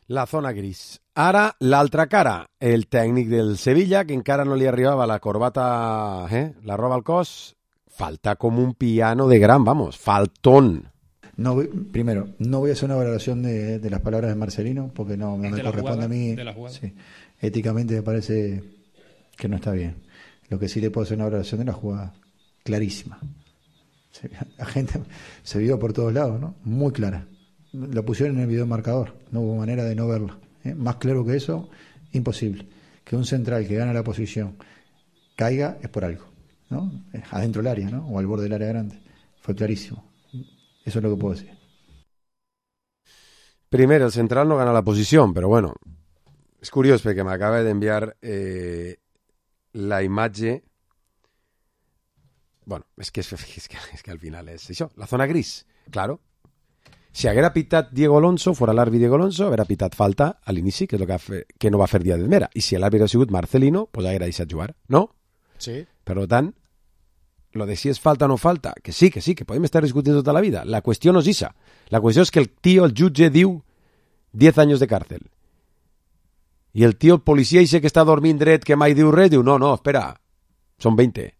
La zona gris. Ara, l'altra cara, el tècnic del Sevilla, que encara no li arribava la corbata, eh? la roba al cos, falta com un piano de gran, vamos, faltón. No, primero, no voy a hacer una valoración de, de las palabras de Marcelino, porque no, no me corresponde a mí. Sí, éticamente me parece que no está bien. Lo que sí le puedo hacer una valoración de la jugada, clarísima. Se, la gente se vio por todos lados, ¿no? Muy clara. Lo pusieron en el video marcador, no hubo manera de no verlo. ¿eh? Más claro que eso, imposible. Que un central que gana la posición caiga es por algo, ¿no? Adentro del área, ¿no? O al borde del área grande. Fue clarísimo. Eso es lo que puedo decir. Primero, el central no gana la posición, pero bueno, és curiós perquè m'acaba d'enviar eh, la imatge. Bueno, és que, és, és, que, és que al final és això, la zona gris, claro. Si haguera pitat Diego Alonso, fora l'àrbitre Diego Alonso, haguera pitat falta a l'inici, que és el que, fe, que no va fer Díaz de Mera. I si l'àrbitre ha sigut Marcelino, pues haguera deixat jugar, no? Sí. Per tant, lo de si és falta o no falta, que sí, que sí, que podem estar discutint tota la vida. La qüestió no és esa. La qüestió és que el tio, el jutge, diu diez años de cárcel. I el tio, el policia, ese que està dormint dret, que mai diu res, diu, no, no, espera, són veinte.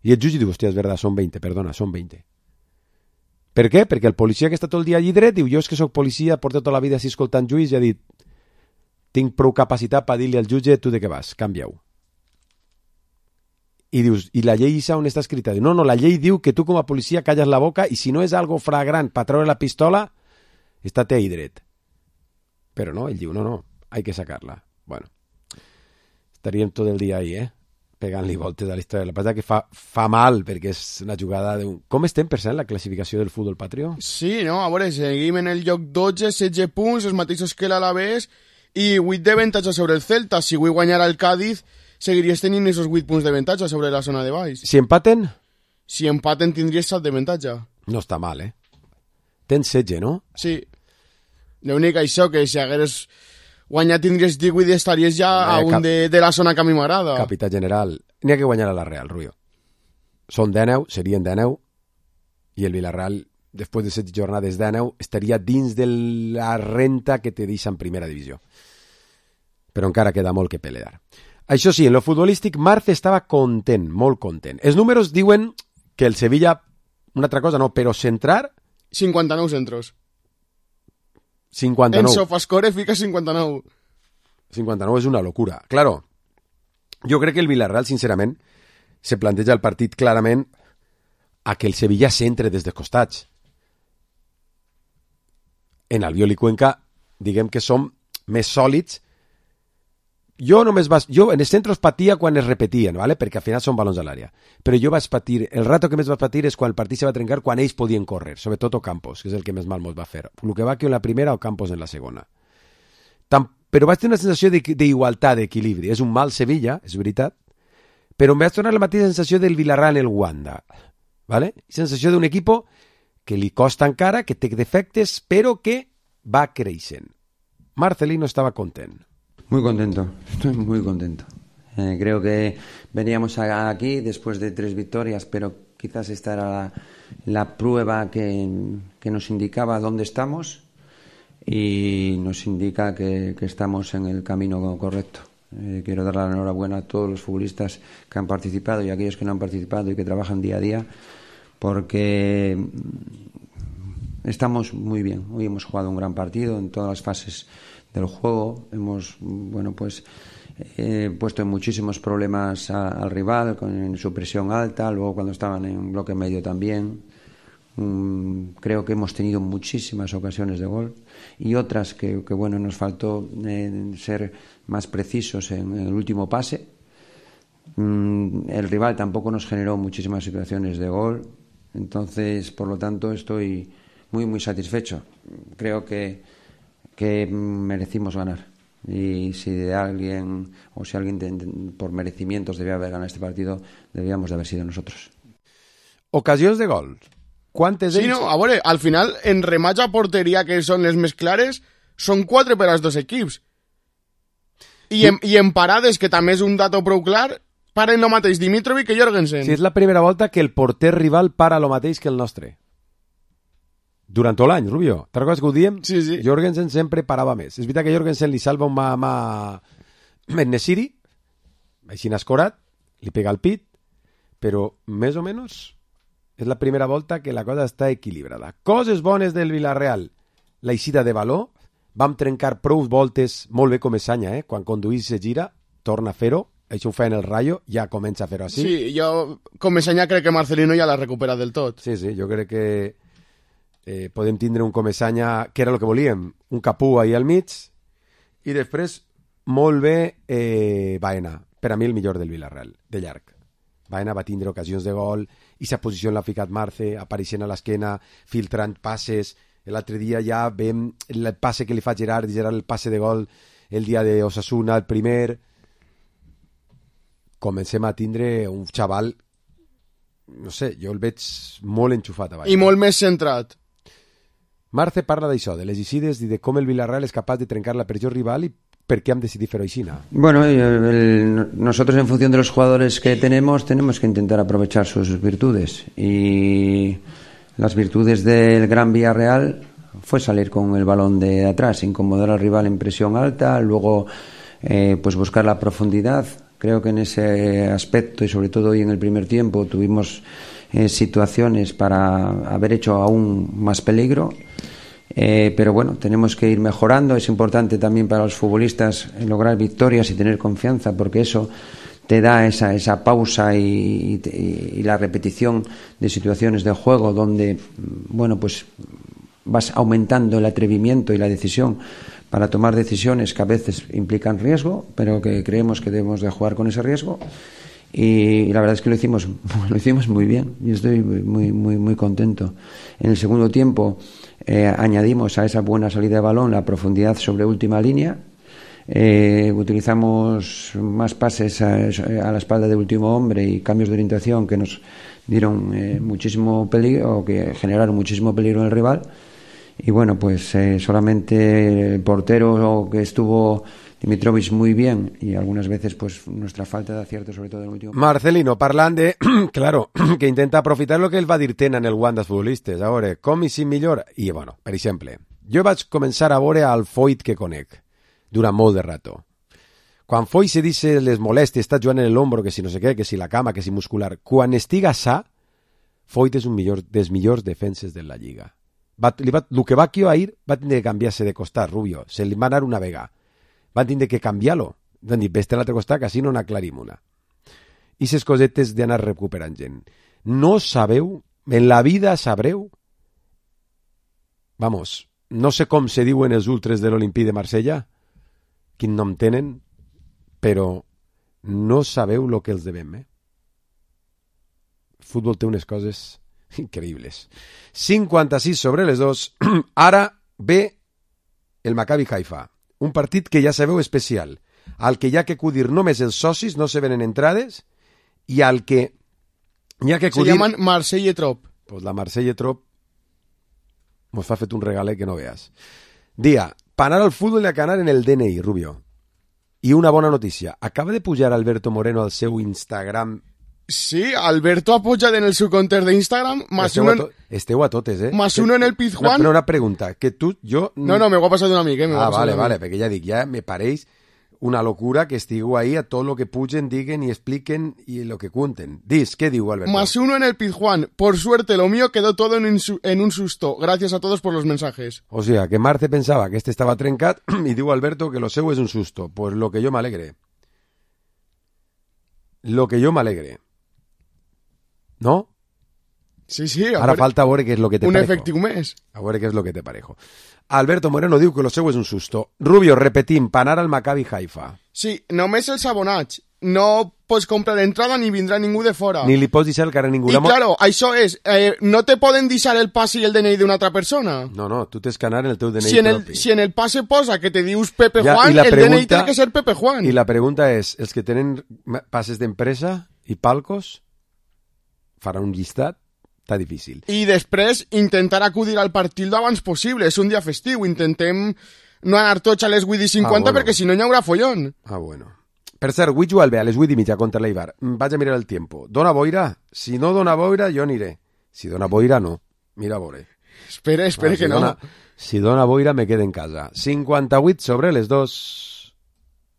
I el jutge diu, hòstia, és verdad, són veinte, perdona, són veinte. Per què? Perquè el policia que està tot el dia allí dret diu, jo és que sóc policia, porto tota la vida així escoltant juís i ha dit, tinc prou capacitat per dir-li al jutge, tu de què vas? Canvia-ho. I dius, i la llei esa on està escrita? Diu, no, no, la llei diu que tu com a policia calles la boca i si no és algo flagrant per treure la pistola, estate ahí dret. Però no, ell diu, no, no, hay que sacarla. Bueno, estaríem tot el dia ahí, eh? Pegant-li voltes a la història. La veritat que fa, fa mal, perquè és una jugada d'un... Com estem, per cert, la classificació del futbol patrio? Sí, no, a veure, seguim en el lloc dotze, setze punts, els mateixos que l'Alavés, i vuit d'avantatge sobre el Celta. Si avui guanyara el Cádiz, seguiries tenint esos vuit punts d'avantatge sobre la zona de baix. Si empaten? Si empaten, tindries set d'avantatge. No està mal, eh? Tens setze, no? Sí. L'únic això, que si hagueres guanyat tindries divuit i estaries ja eh, a un cap... de, de la zona que a mi m'agrada. Capità general, n'hi ha que guanyar a la Real, Rubio. Són deu, serien deu, i el Villarreal, després de set jornades deu, estaria dins de la renta que te deixa en primera divisió. Però encara queda molt que pelear. Això sí, en lo futbolístic, Marce estava content, molt content. Els números diuen que el Sevilla, una altra cosa no, però centrar... cinquanta-nou centros. cinquanta-nou. En Sofascore fica cinquanta-nou. cinquanta-nou és una locura. Claro, jo crec que el Villarreal, sincerament, se planteja el partit clarament a que el Sevilla centre des dels costats. En Albiol i Cuenca, diguem que som més sòlids. Jo només vas... Jo en els centres patia quan es repetien, ¿vale? Perquè al final són balons a l'àrea. Però jo vaig patir... El rato que més vaig patir és quan el partit se va trencar, quan ells podien córrer, sobretot Ocampos, que és el que més mal mos va fer. El que va que en la primera o Campos en la segona. Tam... Però vaig tenir una sensació d'igualtat, d'equilibri. És un mal Sevilla, és veritat, però em vaig tornar la mateixa sensació del Villarreal en el Wanda. ¿Vale? Sensació d'un equip que li costa encara, que té defectes, però que va creixent. Marcelino estava content. Muy contento, estoy muy contento. Eh, creo que veníamos aquí después de tres victorias, pero quizás esta era la, la prueba que, que nos indicaba dónde estamos y nos indica que, que estamos en el camino correcto. Eh, quiero dar la enhorabuena a todos los futbolistas que han participado y a aquellos que no han participado y que trabajan día a día, porque estamos muy bien. Hoy hemos jugado un gran partido en todas las fases del juego, hemos bueno pues eh, puesto en muchísimos problemas a, al rival con su presión alta, luego cuando estaban en bloque medio también. Um, creo que hemos tenido muchísimas ocasiones de gol y otras que, que bueno, nos faltó eh, ser más precisos en, en el último pase. Um, el rival tampoco nos generó muchísimas situaciones de gol, entonces por lo tanto estoy muy muy satisfecho. Creo que que merecimos ganar, y si de alguien o si alguien de, de, por merecimientos debía haber ganado este partido, debíamos de haber sido nosotros. Ocasions de gol, quantes sí, no, a veure, al final en remats a porteria, que són les més clares, són quatre per als dos equips, i en, i en parades, que també és un dato prou clar, paren el mateix Dimitrovic que Jorgensen. Sí, és la primera volta que el porter rival para el mateix que el nostre durant tot l'any, Rubio. Te'n recordes que ho diem? Sí, sí. Jorgensen sempre parava més. És veritat que Jorgensen li salva un mà mà Nesiri, així n'ha escorat, li pega al pit, però més o menys és la primera volta que la cosa està equilibrada. Coses bones del Villarreal. La eixida de valor, vam trencar prou voltes, molt bé com Esanya, eh? Quan conduís se gira, torna a fer-ho, això ho fa en el Rayo, ja comença a fer-ho així. Sí, jo com Mesenya crec que Marcelino ja l'ha recuperat del tot. Sí, sí, jo crec que eh, podem tindre un Comesaña, que era el que volíem, un Capú ahí al mig, i després, molt bé, eh, Baena, per a mi el millor del Villarreal, de llarg. Baena va tindre ocasions de gol, i sa posició l'ha ficat Marce, apareixent a l'esquena, filtrant passes. L'altre dia ja vam el passe que li fa Gerard, Gerard el passe de gol el dia de Osasuna, el primer. Comencem a tindre un xaval, no sé, jo el veig molt enxufat a Baena. I molt més centrat. Marce parla d'això, de les eixides i de com el Villarreal és capaç de trencar la pressió rival i per qué han decidido fer-ho així. Bueno, el, el, nosotros en función de los jugadores que tenemos, tenemos que intentar aprovechar sus virtudes. Y las virtudes del Gran Villarreal fue salir con el balón de atrás, incomodar al rival en presión alta, luego eh, pues buscar la profundidad. Creo que en ese aspecto, y sobre todo hoy en el primer tiempo, tuvimos eh, situaciones para haber hecho aún más peligro. Eh, pero bueno, tenemos que ir mejorando. Es importante también para los futbolistas lograr victorias y tener confianza, porque eso te da esa, esa pausa y, y, y la repetición de situaciones de juego donde, bueno, pues vas aumentando el atrevimiento y la decisión para tomar decisiones que a veces implican riesgo, pero que creemos que debemos de jugar con ese riesgo. Y la verdad es que lo hicimos, lo hicimos muy bien. Yo estoy muy, muy, muy contento. En el segundo tiempo eh, añadimos a esa buena salida de balón la profundidad sobre última línea. Eh, utilizamos más pases a, a la espalda de último hombre y cambios de orientación que nos dieron eh, muchísimo peligro, o que generaron muchísimo peligro en el rival. Y bueno, pues eh, solamente el portero que estuvo Dimitrovic muy bien, y algunas veces pues nuestra falta de acierto, sobre todo en el último. Marcelino, parlant de, claro, que intenta aprofitar lo que el va dir Tena en el guant dels futbolistes. A veure, com i si millor? I, bueno, per exemple, jo vaig començar a veure al Foyt que conec durant molt de rato. Quan Foyt se dice les molestes, està jugant en l'ombro, que si no sé què, que si la cama, que si muscular. Quan estiga sa, Foyt és un millor, dels millors defenses de la Lliga. Va, li va, el que va aquí ahir va tindre que canviar-se de costat, Rubio. Se li va anar una vega. Van tindre que canviar-lo. Van dir, vés-te a l'altre costat, que així no n'aclarim una. I ses cosetes d'anar recuperant gent. No sabeu, en la vida sabreu, vamos, no sé com se diuen els ultres de l'Olimpí de Marsella, quin nom tenen, però no sabeu el que els devem, eh? El futbol té unes coses increïbles. cinquanta-sis sobre les dos. Ara ve el Maccabi Haifa. Un partit que ja sabeu especial, al que hi ha que acudir només els socis, no se venen entrades, i al que hi ha que acudir... Se llaman Marseille Trop. Pues la Marseille Trop mos fa fet un regalet que no veas. Dia, per anar al futbol hi ha que anar en el D N I, Rubio. I una bona notícia, acaba de pujar Alberto Moreno al seu Instagram. Sí, Alberto ha pujat en el seu compte d'Instagram, más esteu uno... A to... Esteu a totes, eh? Más uno en el Pizjuán. Una, una pregunta, que tu, jo... No, no, me ho ha passat un amic, eh? Me ah, vale, vale, perquè ja dic, ja me pareix una locura que estigueu ahí a tot lo que pugen, diguen i expliquen i lo que cuenten. Dis, què diu Alberto? Más uno en el Pizjuán. Por suerte, lo mío quedó todo en un, en un susto. Gracias a todos por los mensajes. O sea, que Marce pensava que este estava trencat i diu Alberto que lo seu és un susto. Pues lo que yo me alegre. Lo que yo me alegre. ¿No? Sí, sí. Ara falta veure què és lo que te un parejo. Un efectiu més. A veure què és lo que te parejo. Alberto Moreno diu que lo seu és un susto. Rubio, repetim, per anar al Maccabi Haifa. Sí, només els abonats. No pots comprar entrada ni vindrà ningú de fora. Ni li pots deixar el carrer a ningú. I claro, això és, eh, no te poden deixar el passe i el D N I d'una altra persona. No, no, tu tens que anar en el teu D N I si en el, propi. Si en el passe posa que te dius Pepe ja, Juan, el pregunta, D N I té que ser Pepe Juan. I la pregunta és, els que tenen passes d'empresa i palcos faran un llistat? Està difícil. I després intentar acudir al partit abans possible. És un dia festiu. Intentem no anar tots a les vuit i cinquanta ah, bueno. perquè si no hi haurà follón. Ah, bueno. Per cert, vull jugar bé a les vuit i mitja contra l'Eibar. Vaig a mirar el tiempo. Dona boira? Si no dona boira, jo aniré. Si dona boira, no. Mira, a veure. Espera, espera ah, si que dona, no. Si dona boira, me quedo en casa. cinquanta-vuit sobre les dos.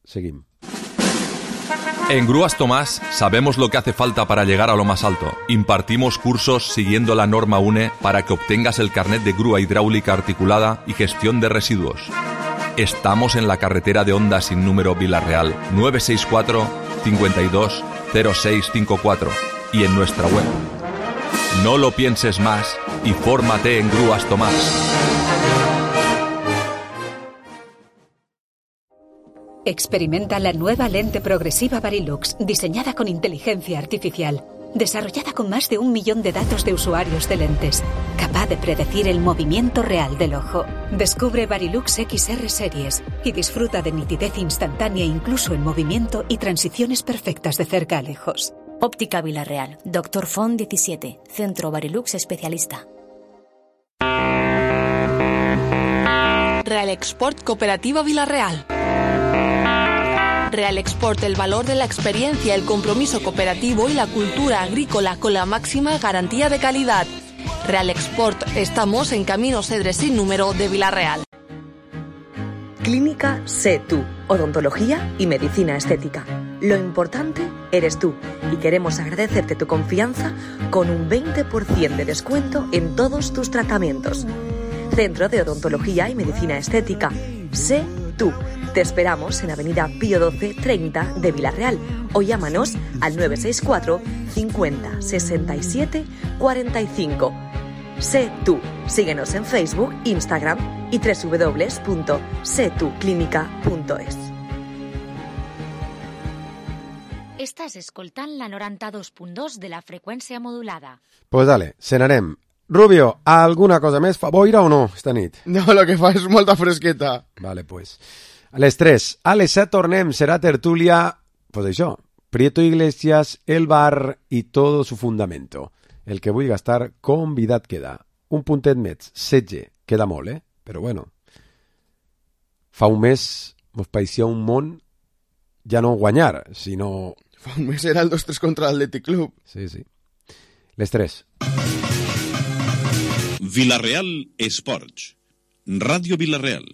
Seguim. En Grúas Tomás sabemos lo que hace falta para llegar a lo más alto. Impartimos cursos siguiendo la norma U N E para que obtengas el carnet de grúa hidráulica articulada y gestión de residuos. Estamos en la carretera de Honda sin número Villarreal, nueve seis cuatro, cincuenta y dos cero seis cincuenta y cuatro y en nuestra web. No lo pienses más y fórmate en Grúas Tomás. Experimenta la nueva lente progresiva Varilux, diseñada con inteligencia artificial, desarrollada con más de un millón de datos de usuarios de lentes, capaz de predecir el movimiento real del ojo. Descubre Varilux X R Series y disfruta de nitidez instantánea incluso en movimiento y transiciones perfectas de cerca a lejos. Óptica Villarreal, Doctor Font diecisiete, Centro Varilux Especialista. Real Export Cooperativa Villarreal. Real Export, el valor de la experiencia, el compromiso cooperativo y la cultura agrícola con la máxima garantía de calidad. Real Export, estamos en Camino Cedre sin número de Villarreal. Clínica Sé Tú, odontología y medicina estética. Lo importante eres tú y queremos agradecerte tu confianza con un veinte por ciento de descuento en todos tus tratamientos. Centro de Odontología y Medicina Estética. Sé Tú. Te esperamos en Avenida Pío doce treinta de Villarreal o llámanos al nueve seis cuatro cincuenta sesenta y siete cuarenta y cinco. Sé Tú. Síguenos en Facebook, Instagram y doble u doble u doble u punto sé tú clínica punto es. Estàs escoltant la noranta-dos punt dos de la freqüència modulada. Pues dale, cenarem. Rubio, ¿alguna cosa més? Fa boira o no esta nit? No, lo que fa és molta fresqueta. Vale, pues. A les tres. A les set tornem. Serà tertúlia, pues això, Prieto Iglesias, el bar i todo su fundamento. El que vull gastar, convidat queda. Un puntet més, setze. Queda molt, eh? Però bueno. Fa un mes mos pareixia un món ja no guanyar, sinó... Fa un mes era el dos tres contra l'Atlètic Club. Sí, sí. Les tres. Villarreal Esports. Ràdio Villarreal.